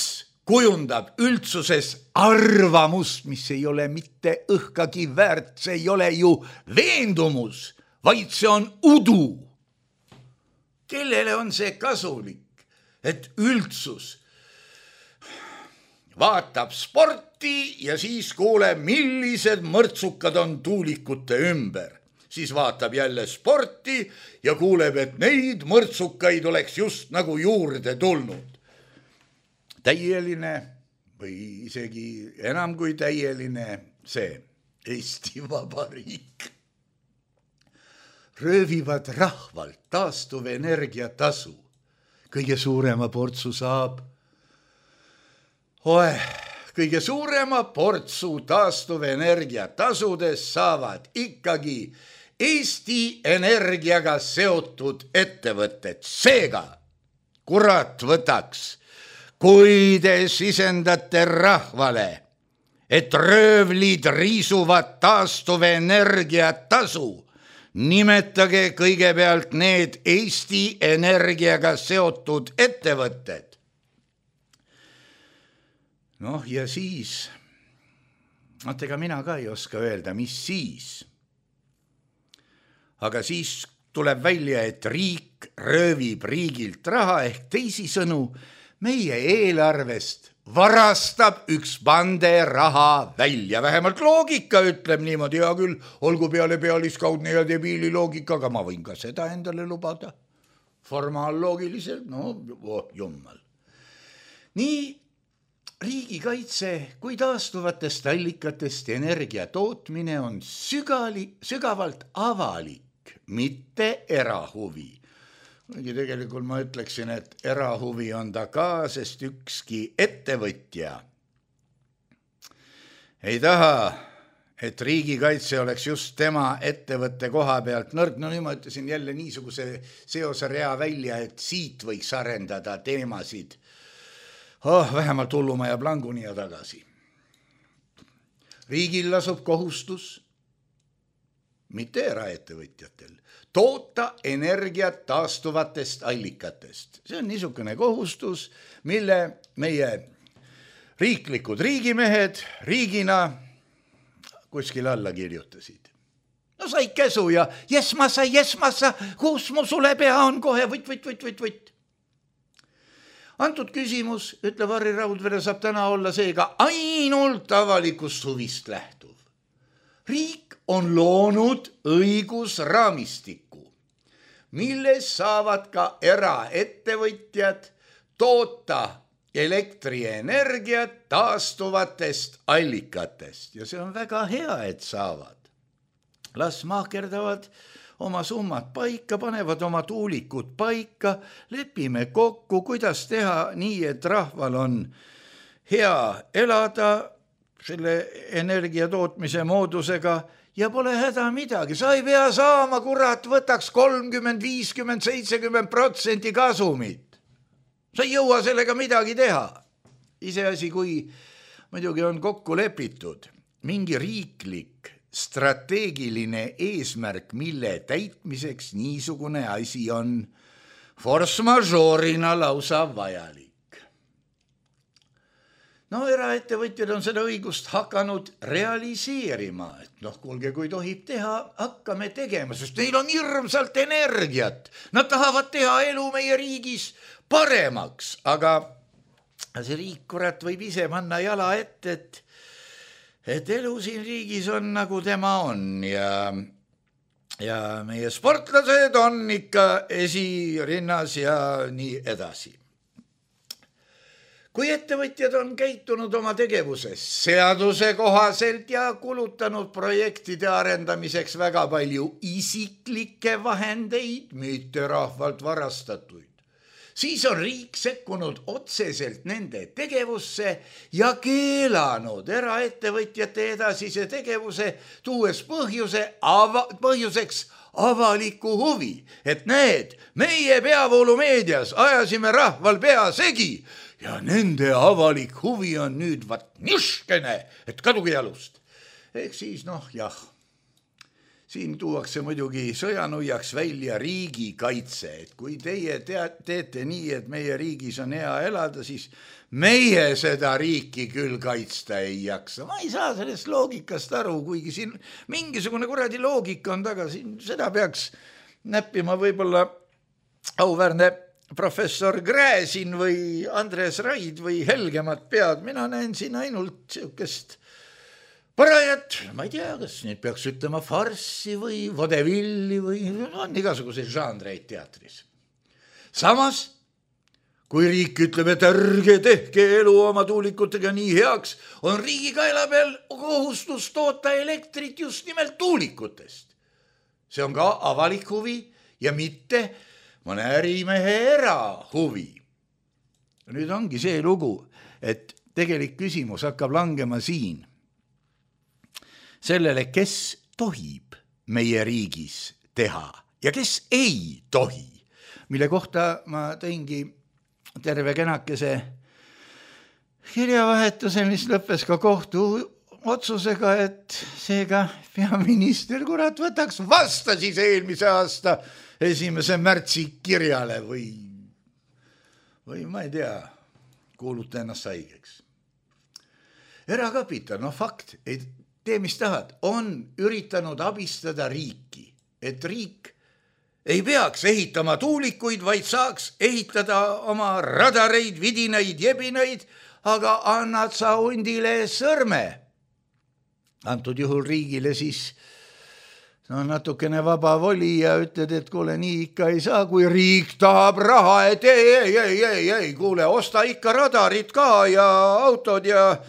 kujundab üldsuses arvamust, mis ei ole mitte õhkagi väärt, see ei ole ju veendumus, vaid see on udu. Kellele on see kasulik, et üldsus vaatab sporti ja siis kuuleb, millised mõrtsukad on tuulikute ümber. Siis vaatab jälle sporti ja kuuleb, et neid mõrtsukaid oleks just nagu juurde tulnud. Täieline või isegi enam kui täieline see Eesti Vabariik. Röövivad rahvalt taastuvenergia tasu. Kõige suurema portsu saab. Kõige suurema portsu taastuvenergia tasudes saavad ikkagi Eesti Energiaga seotud ettevõtted. Seega, kurat võtaks, kui te sisendate rahvale, et röövlid riisuvad taastuvenergia tasu, nimetage kõigepealt need Eesti Energiaga seotud ettevõtted. Noh, ja siis, ega mina ka ei oska öelda, mis siis. Aga siis tuleb välja, et riik röövib riigilt raha ehk teisisõnu meie eelarvest varastab üks pande raha välja. Vähemalt loogika ütleb niimoodi, ja küll olgu peale pealiskaudne ja debiili loogika, aga ma võin ka seda endale lubada. Formaalloogiliselt, jummal. Nii riigikaitse kui taastuvatest allikatest energia tootmine on sügavalt avalik, mitte erahuvi. Tegelikult ma ütleksin, et erahuvi on ta ka, sest ükski ettevõtja ei taha, et riigikaitse oleks just tema ettevõtte koha pealt nõrk. No nüüd ma ütlesin jälle niisuguse seose rea välja, et siit võiks arendada teemasid vähemalt Hullumaja Planguni ja tagasi. Riigil lasub kohustus, mitte eraettevõtjatel, toota energiat taastuvatest allikatest. See on niisugune kohustus, mille meie riiklikud riigimehed riigina kuskil alla kirjutasid. No sai käsu ja jesmassa, kus mu sule pea on kohe, võtt. Antud küsimus, ütleb Harri Raudvere, saab täna olla seega ainult avalikust huvist lähtuv. Riik on loonud õigusraamistiku, milles saavad ka eraettevõtjad toota elektrienergiat taastuvatest allikatest. Ja see on väga hea, et saavad. Las mahkerdavad oma summad paika, panevad oma tuulikud paika, lepime kokku, kuidas teha nii, et rahval on hea elada selle energia tootmise moodusega ja pole häda midagi. Sa ei pea saama, kurat, võtaks 30, 50, 70% kasumit. Sa ei jõua sellega midagi teha. Iseasi, kui muidugi on kokku lepitud mingi riiklik strateegiline eesmärk, mille täitmiseks niisugune asi on force majeure'ina lausa vajalik. No eraettevõtjad on seda õigust hakanud realiseerima, et kuulge, kui tohib teha, hakkame tegema, sest neil on hirmsalt energiat. Nad tahavad teha elu meie riigis paremaks, aga see riik, kurat, võib ise panna jala ette, et elu siin riigis on nagu tema on ja meie sportlased on ikka esirinnas ja nii edasi. Kui ettevõtjad on käitunud oma tegevuses seaduse kohaselt ja kulutanud projektide arendamiseks väga palju isiklikke vahendeid, mitte rahvalt varastatuid, siis on riik sekkunud otseselt nende tegevusse ja keelanud eraettevõtjate edasise tegevuse, tuues põhjuseks avaliku huvi, et need meie peavoolumeedias ajasime rahval pea segi ja nende avalik huvi on nüüd niškene, et kaduge jalust. Ehk siis siin tuuakse muidugi sõjanuiaks välja riigikaitse, et kui teie teete nii, et meie riigis on hea elada, siis meie seda riiki küll kaitsta ei jaksa. Ma ei saa sellest loogikast aru, kuigi siin mingisugune kuradi loogika on taga, siin seda peaks näppima võib-olla auväärne professor Gräzin või Andres Raid või helgemat pead. Mina näen siin ainult siukest parajat, ma ei tea, kas nüüd peaks ütlema farssi või vodevilli või on igasuguseid žanreid teatris. Samas, kui riik ütleb, et ärge tehke elu oma tuulikutega nii heaks, on riigi kaela peal kohustus toota elektrit just nimelt tuulikutest. See on ka avalik huvi ja mitte mõne ärimehe erahuvi. Nüüd ongi see lugu, et tegelik küsimus hakkab langema siin sellele, kes tohib meie riigis teha ja kes ei tohi, mille kohta ma tõingi terve kenakese kirjavahetuse, mis lõppes ka otsusega, et seega peaminister kurat võtaks vasta siis eelmise aasta 1. märtsi kirjale või ma ei tea, kuuluta ennast haigeks. Erakapital, fakt, ei tee mis tahad, on üritanud abistada riiki, et riik ei peaks ehitama tuulikuid, vaid saaks ehitada oma radareid, vidinaid, jebinaid, aga annad sa hundile sõrme. Antud juhul riigile siis natukene vaba voli ja ütled, et kuule, nii ikka ei saa, kui riik tahab raha, et ei, kuule, osta ikka radarid ka ja autod ja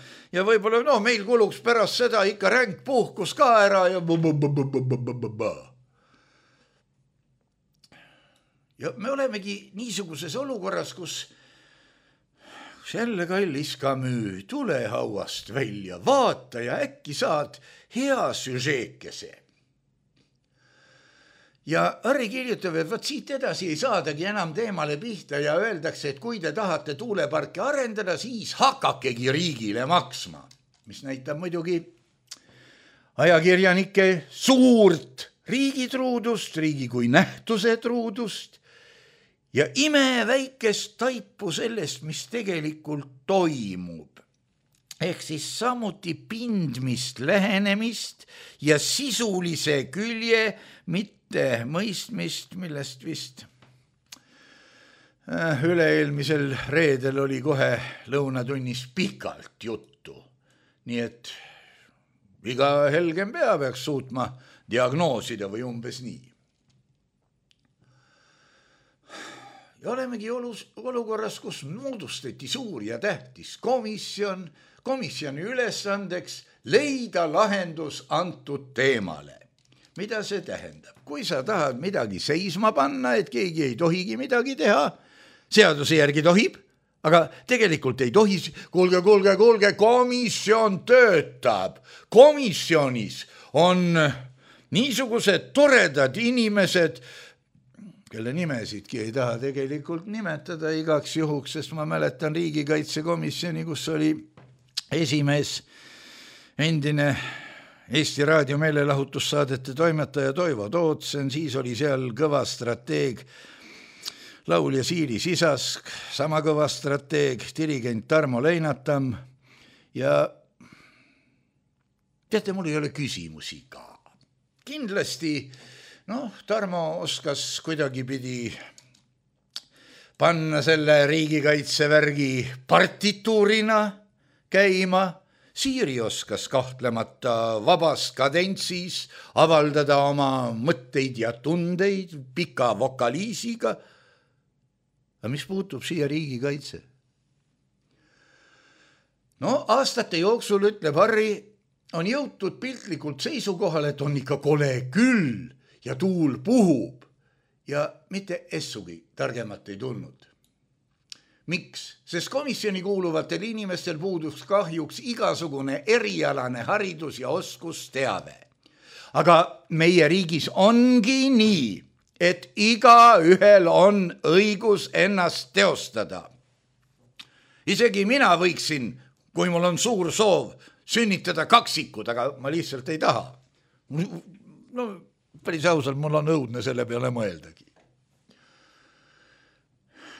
võib-olla meil kuluks pärast seda ikka ränk puhkus ka ära ja ja me olemegi niisuguses olukorras, kus jälle kallis Camus, tule hauast välja, vaata ja äkki saad hea süžeekese. Ja Harri kirjutab, et võt siit edasi ei saadagi enam teemale pihta ja öeldakse, et kui te tahate tuuleparki arendada, siis hakakegi riigile maksma, mis näitab muidugi ajakirjanike suurt riigitruudust, riigi kui nähtuse truudust ja imeväikest taipu sellest, mis tegelikult toimub. Ehk siis samuti pindmist, lähenemist ja sisulise külje mitte mõistmist, millest vist üle-eelmisel reedel oli kohe lõunatunnis pikalt juttu. Nii et iga helgem pea peaks suutma diagnoosida või umbes nii. Ja olemegi olukorras, kus moodustati suur ja tähtis komisjoni ülesandeks leida lahendus antud teemale. Mida see tähendab? Kui sa tahad midagi seisma panna, et keegi ei tohigi midagi teha, seaduse järgi tohib, aga tegelikult ei tohi, kuulge, komisjon töötab. Komisjonis on niisugused toredad inimesed, kelle nimesidki ei taha tegelikult nimetada igaks juhuks, sest ma mäletan riigikaitsekomisjoni, kus oli esimees endine Eesti Raadio meelelahutussaadete toimetaja Toivo Tootsen, siis oli seal kõva strateeg laulja Siiri Sisask, sama kõva strateeg dirigent Tarmo Leinatam ja teate, mul ei ole küsimusi ka. Kindlasti, Tarmo oskas kuidagipidi panna selle riigikaitsevärgi partituurina käima, Siiri oskas kahtlemata vabas kadentsis avaldada oma mõtteid ja tundeid pika vokaliisiga. Aga mis puutub siia riigikaitse? Aastate jooksul, ütleb Harri, on jõutud piltlikult seisukohal, et on ikka kole küll ja tuul puhub ja mitte essugi targemat ei tulnud. Miks? Sest komisjoni kuuluvatel inimestel puuduks kahjuks igasugune erialane haridus ja oskusteave. Aga meie riigis ongi nii, et igaühel on õigus ennast teostada. Isegi mina võiksin, kui mul on suur soov, sünnitada kaksikud, aga ma lihtsalt ei taha. Päris ausalt, mul on õudne selle peale mõeldagi.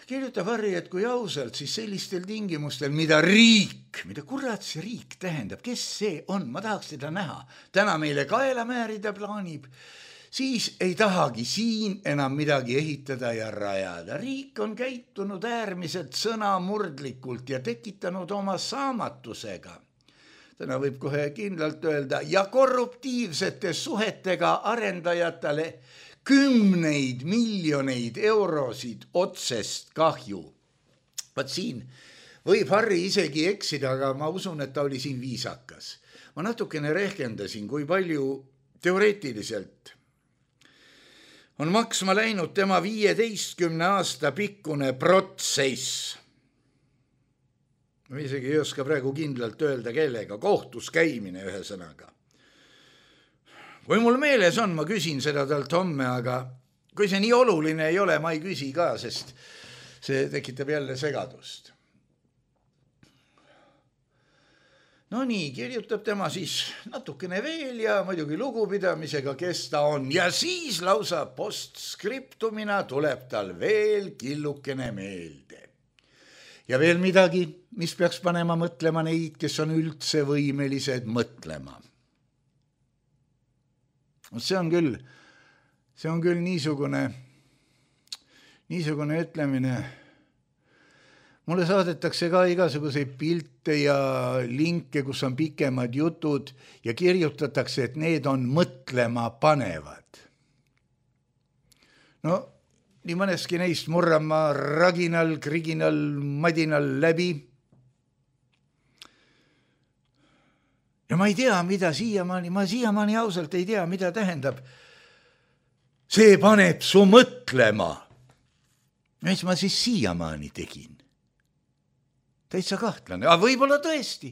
Kirjutab Harri, et kui ausalt, siis sellistel tingimustel, mida kurat see riik tähendab, kes see on, ma tahaks teda näha, täna meile kaela määrida plaanib, siis ei tahagi siin enam midagi ehitada ja rajada. Riik on käitunud äärmiselt sõnamurdlikult ja tekitanud oma saamatusega. Täna võib kohe kindlalt öelda ja korruptiivsete suhetega arendajatele 10 miljoneid eurosid otsest kahju. Vaat siin võib Harri isegi eksida, aga ma usun, et ta oli siin viisakas. Ma natukene rehkendasin, kui palju teoreetiliselt on maksma läinud tema 15 aasta pikkune protsess. Ma isegi ei oska praegu kindlalt öelda kellega, kohtus käimine ühe sõnaga. Kui mul meeles on, ma küsin seda talt homme, aga kui see nii oluline ei ole, ma ei küsi ka, sest see tekitab jälle segadust. No nii, kirjutab tema siis natukene veel ja muidugi lugupidamisega, kes ta on. Ja siis lausa postskriptumina tuleb tal veel killukene meelde. Ja veel midagi, mis peaks panema mõtlema neid, kes on üldse võimelised mõtlema. See on küll niisugune ütlemine. Mulle saadetakse ka igasuguseid pilte ja linke, kus on pikemad jutud ja kirjutatakse, et need on mõtlema panevad. No, nii mõneski neist murran ma raginal, kriginal, madinal läbi. Ja ma ei tea, mida siiamaani ausalt ei tea, mida tähendab. See paneb su mõtlema. Mis ma siis siiamaani tegin? Täitsa kahtlane, aga võib-olla tõesti,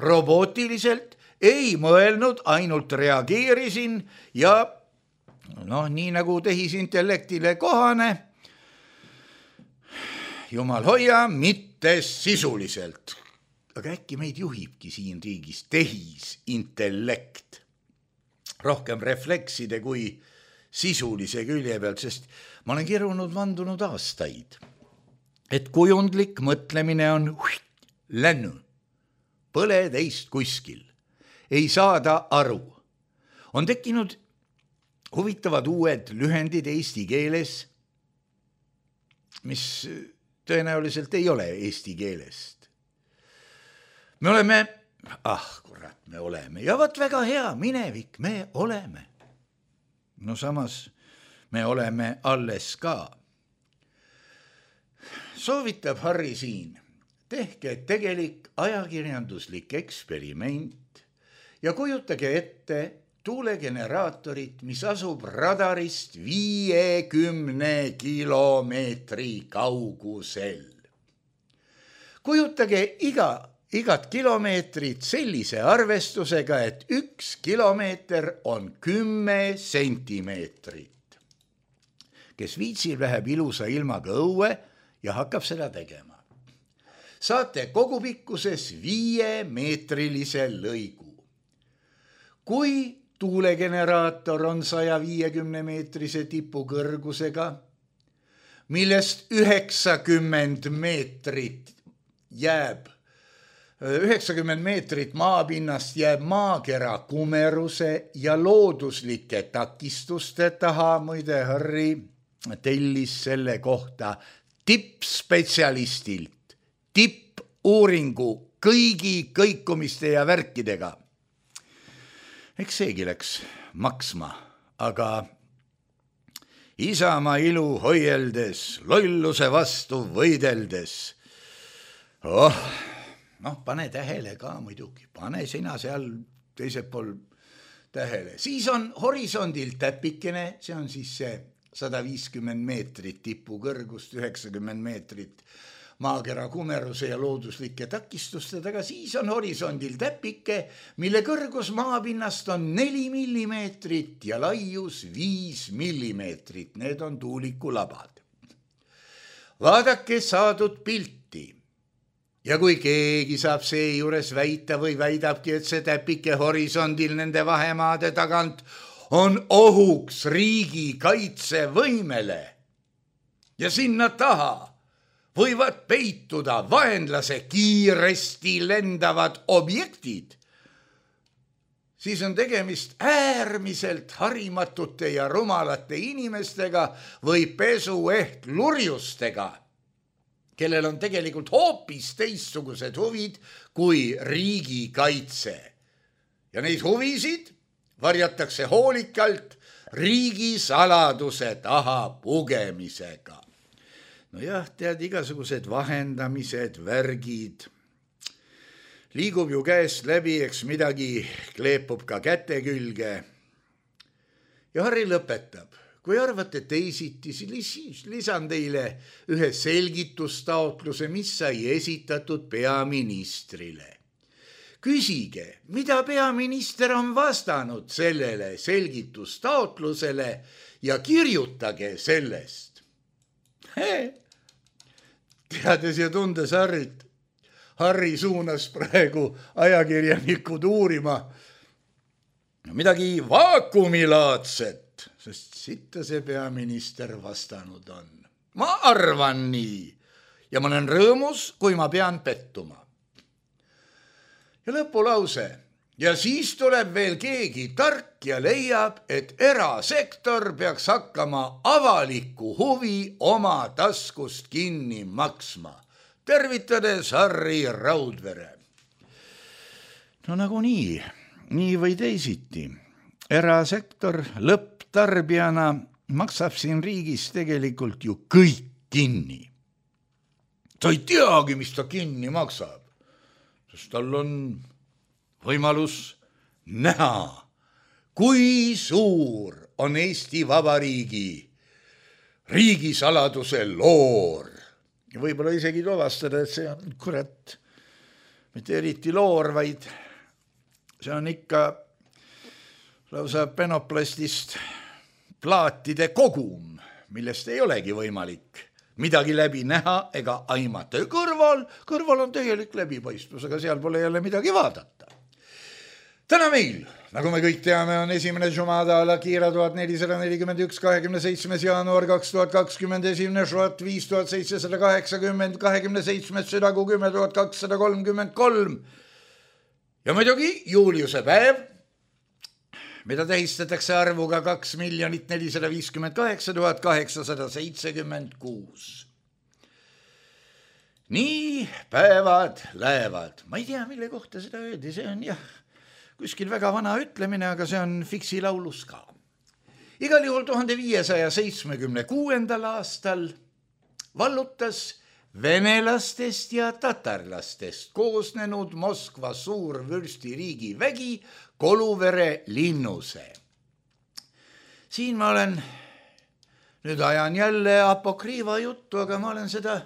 robootiliselt ei mõelnud, ainult reageerisin ja nii nagu tehisintellektile kohane, jumal hoia, mitte sisuliselt. Aga äkki meid juhibki siin riigis tehisintellekt, rohkem reflekside kui sisulise külje pealt, sest ma olen kirunud vandunud aastaid, et kujundlik mõtlemine on lännu, põle teist kuskil, ei saada aru. On tekkinud huvitavad uued lühendid eesti keeles, mis tõenäoliselt ei ole eesti keelest. Me oleme, me oleme, ja võt väga hea, minevik, me oleme. No samas me oleme alles ka. Soovitab Harri siin, tehke tegelik ajakirjanduslik eksperiment ja kujutage ette tuulegeneraatorit, mis asub radarist 50 kilomeetri kaugusel. Kujutage igat kilomeetrit sellise arvestusega, et 1 kilomeeter on 10 sentimeetrit. Kes viitsib, läheb ilusa ilmaga õue ja hakkab seda tegema. Saate kogupikkuses 5-meetrilise lõigu. Kui tuulegeneraator on 150-meetrise tipu kõrgusega, millest 90 meetrit maapinnast jääb maakera kumeruse ja looduslike takistuste taha, muide Harri tellis selle kohta tippspetsialistilt tippuuringu kõigi kõikumiste ja värkidega. Eks seegi läks maksma, aga Isamaa ilu hoieldes, lolluse vastu võideldes. Pane tähele ka muidugi, pane sina seal teisel pool tähele. Siis on horisondil täpikene, see on siis see 150 meetrit tipu kõrgust, 90 meetrit maakera kumeruse ja looduslike takistuste taga, siis on horisondil täpike, mille kõrgus maapinnast on 4 millimeetrit ja laius 5 millimeetrit. Need on tuulikulabad. Vaadake saadud pilti. Ja kui keegi saab seejuures väita või väidabki, et see täpike horisondil nende vahemaade tagant on ohuks riigi kaitsevõimele ja sinna taha võivad peituda vaenlase kiiresti lendavad objektid, siis on tegemist äärmiselt harimatute ja rumalate inimestega või pesuehtlurjustega, kellel on tegelikult hoopis teistsugused huvid kui riigikaitse. Ja neid huvisid varjatakse hoolikalt riigisaladuse taha pugemisega. No jah, tead, igasugused vahendamised, värgid, liigub ju käest läbi, eks midagi kleepub ka käte külge. Ja Harri lõpetab. Kui arvate teisiti, siis lisan teile ühe selgitustaotluse, mis sai esitatud peaministrile. Küsige, mida peaminister on vastanud sellele selgitustaotlusele ja kirjutage sellest. Teades ja tundes Harrit, Harri suunas praegu ajakirjanikud uurima midagi vaakumilaadset, sest sitta see peaminister vastanud on. Ma arvan nii ja ma olen rõõmus, kui ma pean pettuma. Ja lõpulause. Ja siis tuleb veel keegi tark ja leiab, et erasektor peaks hakkama avalikku huvi oma taskust kinni maksma. Tervitades Harri Raudvere. No nagu nii või teisiti. Erasektor lõpptarbijana maksab siin riigis tegelikult ju kõik kinni. Ta ei teagi, mis ta kinni maksab, sest tal on võimalus näha, kui suur on Eesti Vabariigi riigisaladuse loor. Ja võib-olla isegi tuvastada, et see on kurat, mitte eriti loor, vaid see on ikka lausa penoplastist plaatide kogum, millest ei olegi võimalik midagi läbi näha ega aimata. Kõrval on täielik läbipaistvus, aga seal pole jälle midagi vaadata. Täna meil, nagu me kõik teame, on 1. Jumada Al-Akira 1441, 27. jaanuar 2020, 1. Švat 5780, 27. südakuu 10233 ja muidugi Juliuse päev, mida tähistatakse arvuga 2 458 876. Nii päevad lähevad. Ma ei tea, mille kohta seda öeldi, see on kuskil väga vana ütlemine, aga see on Fiksi laulus ka. Igal juhul 1576. aastal vallutas venelastest ja tatarlastest koosnenud Moskva suurvürstiriigi vägi Koluvere linnuse. Siin ma olen, nüüd ajan jälle apokriiva juttu, aga ma olen seda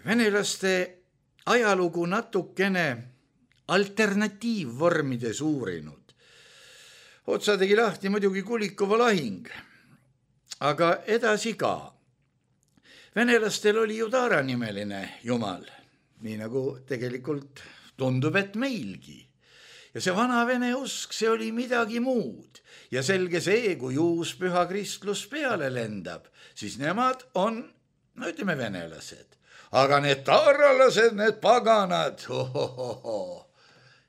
venelaste ajalugu natukene alternatiivvormides uurinud. Otsa tegi lahti muidugi Kulikova lahing, aga edasi ka. Venelastel oli ju Taara nimeline jumal, nii nagu tegelikult tundub, et meilgi. Ja see vana vene usk, see oli midagi muud. Ja selge see, kui uus püha kristlus peale lendab, siis nemad on, no ütleme, venelased. Aga need taaralased, need paganad,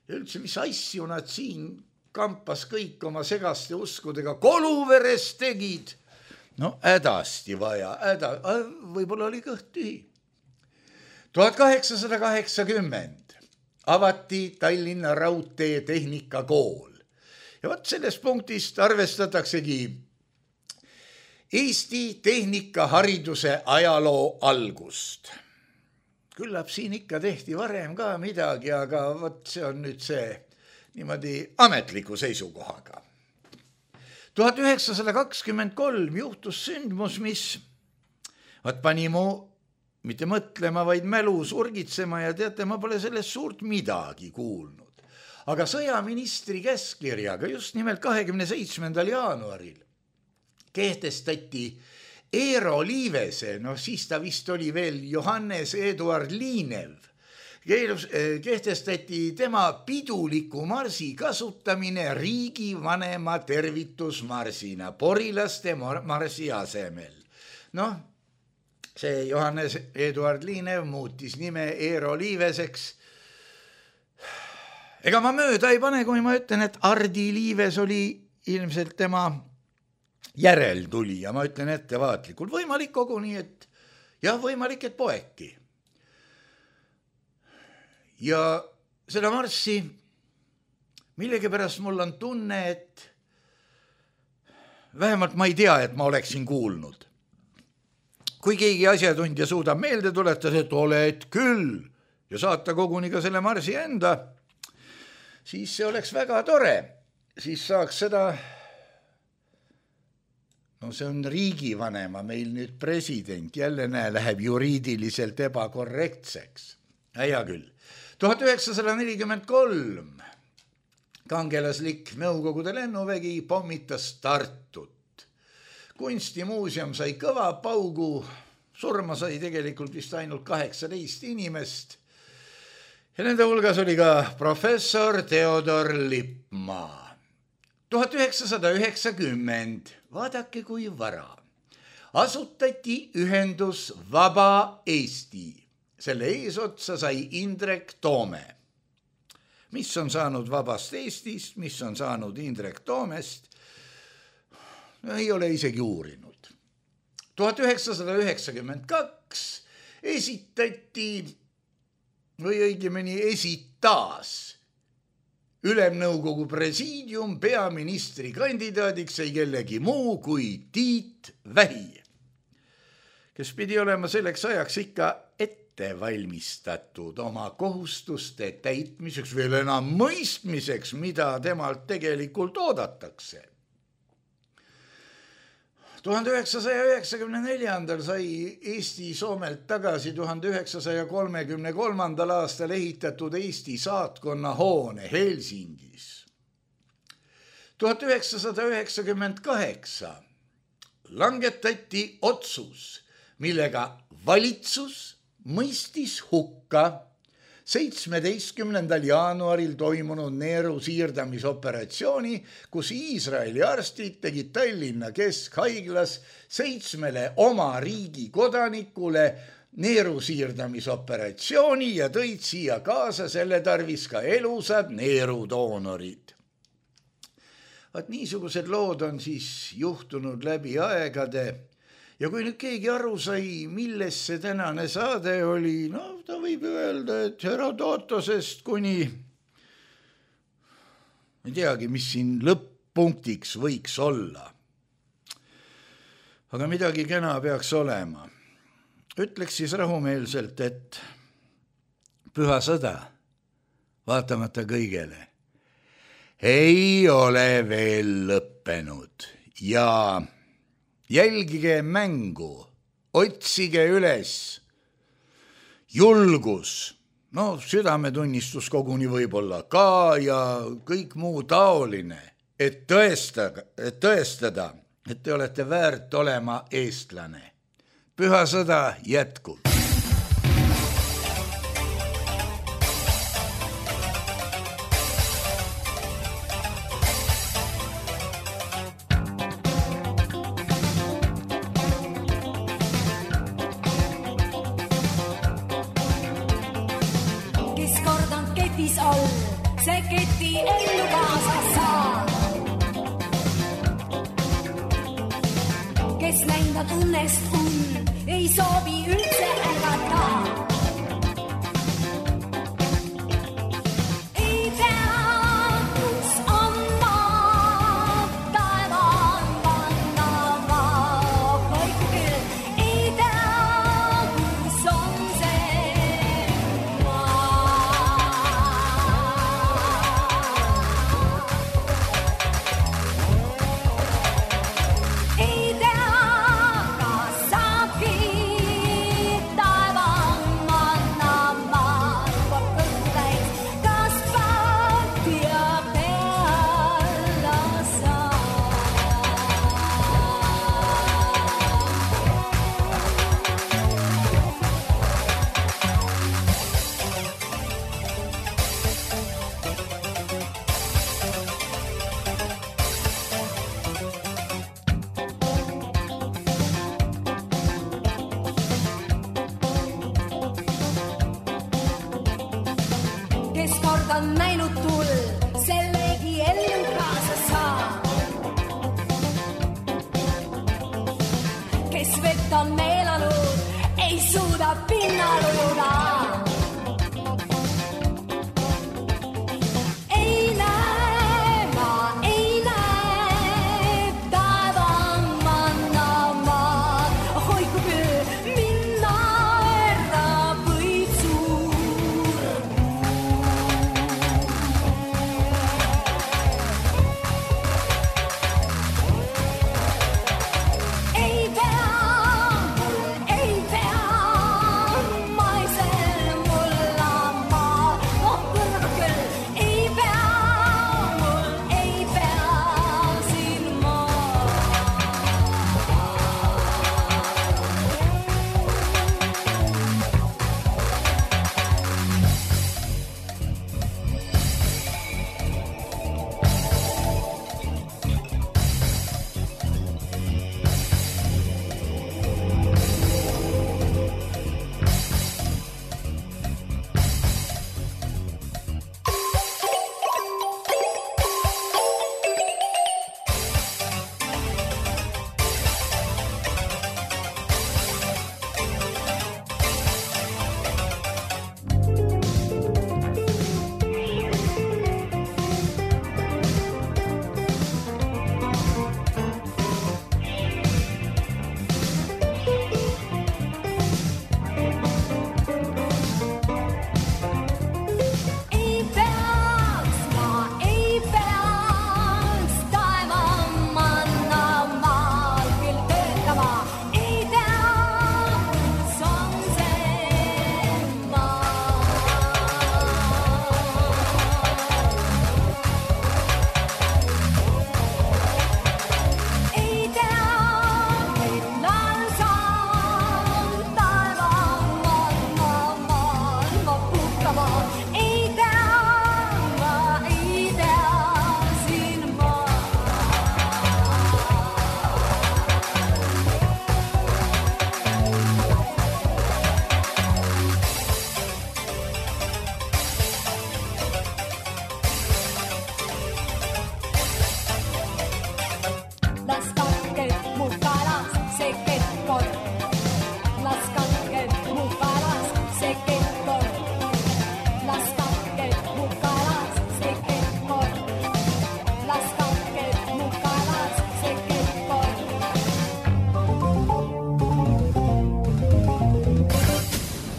ja üldse, mis asju nad siin kampas kõik oma segaste uskudega Koluveres tegid. No hädasti vaja, võib-olla oli kõht tühi. 1880 avati Tallinna Raudtee Tehnikakool. Ja võt sellest punktist arvestataksegi Eesti tehnikahariduse ajaloo algust. Küllap siin ikka tehti varem ka midagi, aga võt see on nüüd see niimoodi ametliku seisukohaga. 1923 juhtus sündmus, mis pani mu mitte mõtlema, vaid mälu surgitsema ja teate, ma pole sellest suurt midagi kuulnud. Aga sõjaministri käskkirjaga just nimelt 27. jaanuaril kehtestati Eero Liivese, siis ta vist oli veel Johannes Eduard Liinev, kehtestati tema piduliku marsi kasutamine riigivanema tervitusmarsina porilaste marsi asemel. See Johannes Eduard Liinev muutis nime Eero Liiveseks. Ega ma mööda ei pane, kui ma ütlen, et Hardi Liives oli ilmselt tema järeltuli ja ma ütlen ettevaatlikult. Võimalik koguni, et võimalik, et poeki. Ja seda marssi millegipärast mul on tunne, et vähemalt ma ei tea, et ma oleksin kuulnud. Kui keegi asjatundja suudab meelde tuletada, et oled küll ja saata koguni ka selle marsi enda, siis see oleks väga tore. Siis saaks seda, see on riigivanema, meil nüüd president, jälle läheb juriidiliselt ebakorrektseks. Hea küll. 1943 kangelaslik Nõukogude lennuvägi pommitas Tartut. Kunstimuuseum sai kõva paugu, surma sai tegelikult vist ainult 18 inimest ja nende hulgas oli ka professor Theodor Lippmaa. 1990, vaadake kui vara, asutati ühendus Vaba Eesti. Selle eesotsa sai Indrek Toome. Mis on saanud Vabast Eestist, mis on saanud Indrek Toomest, ei ole isegi uurinud. 1992 esitati, või õigemini esitas Ülemnõukogu presiidium peaministri kandidaadiks ei kellegi muu kui Tiit Vähi, kes pidi olema selleks ajaks ikka ette valmistatud oma kohustuste täitmiseks, veel enam mõistmiseks, mida temalt tegelikult oodatakse. 1994. sai Eesti Soomelt tagasi 1933. aastal ehitatud Eesti saatkonna hoone Helsingis. 1998 langetati otsus, millega valitsus mõistis hukka 17. jaanuaril toimunud neeru siirdamisoperatsiooni, kus Iisraeli arstid tegid Tallinna Keskhaiglas 7 oma riigi kodanikule neeru siirdamisoperatsiooni ja tõid siia kaasa selle tarvis ka elusad neerudoonorid. Vaat niisugused lood on siis juhtunud läbi aegade. Ja kui nüüd keegi aru sai, milles see tänane saade oli, ta võib öelda, et Herodotosest kuni, ei teagi, mis siin lõpp-punktiks võiks olla. Aga midagi kena peaks olema. Ütleks siis rahumeelselt, et püha sõda, vaatamata kõigele, ei ole veel lõppenud ja jälgige mängu, otsige üles julgus, südametunnistus koguni võib-olla ka ja kõik muu taoline, et tõestada, et te olete väärt olema eestlane. Püha sõda jätkub. See keti ellu kaasa saa. Kes näinud õnnest ei soovi üldse ärgata. Ei tea, kus on maa, taevaan vannava hoiku küll. Ei tea, kus on see on näinud tul, sellegi ellu kaasa saa. Kes vett on meelanud, ei suuda pinnal ujuda. Ei näe, ma ei näe, taevaan mannamaa. Hoiku küll, minna ära võib suur. Ei pea, ma ei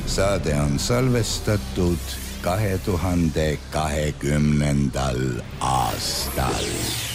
Saade on salvestatud 2020. aastal.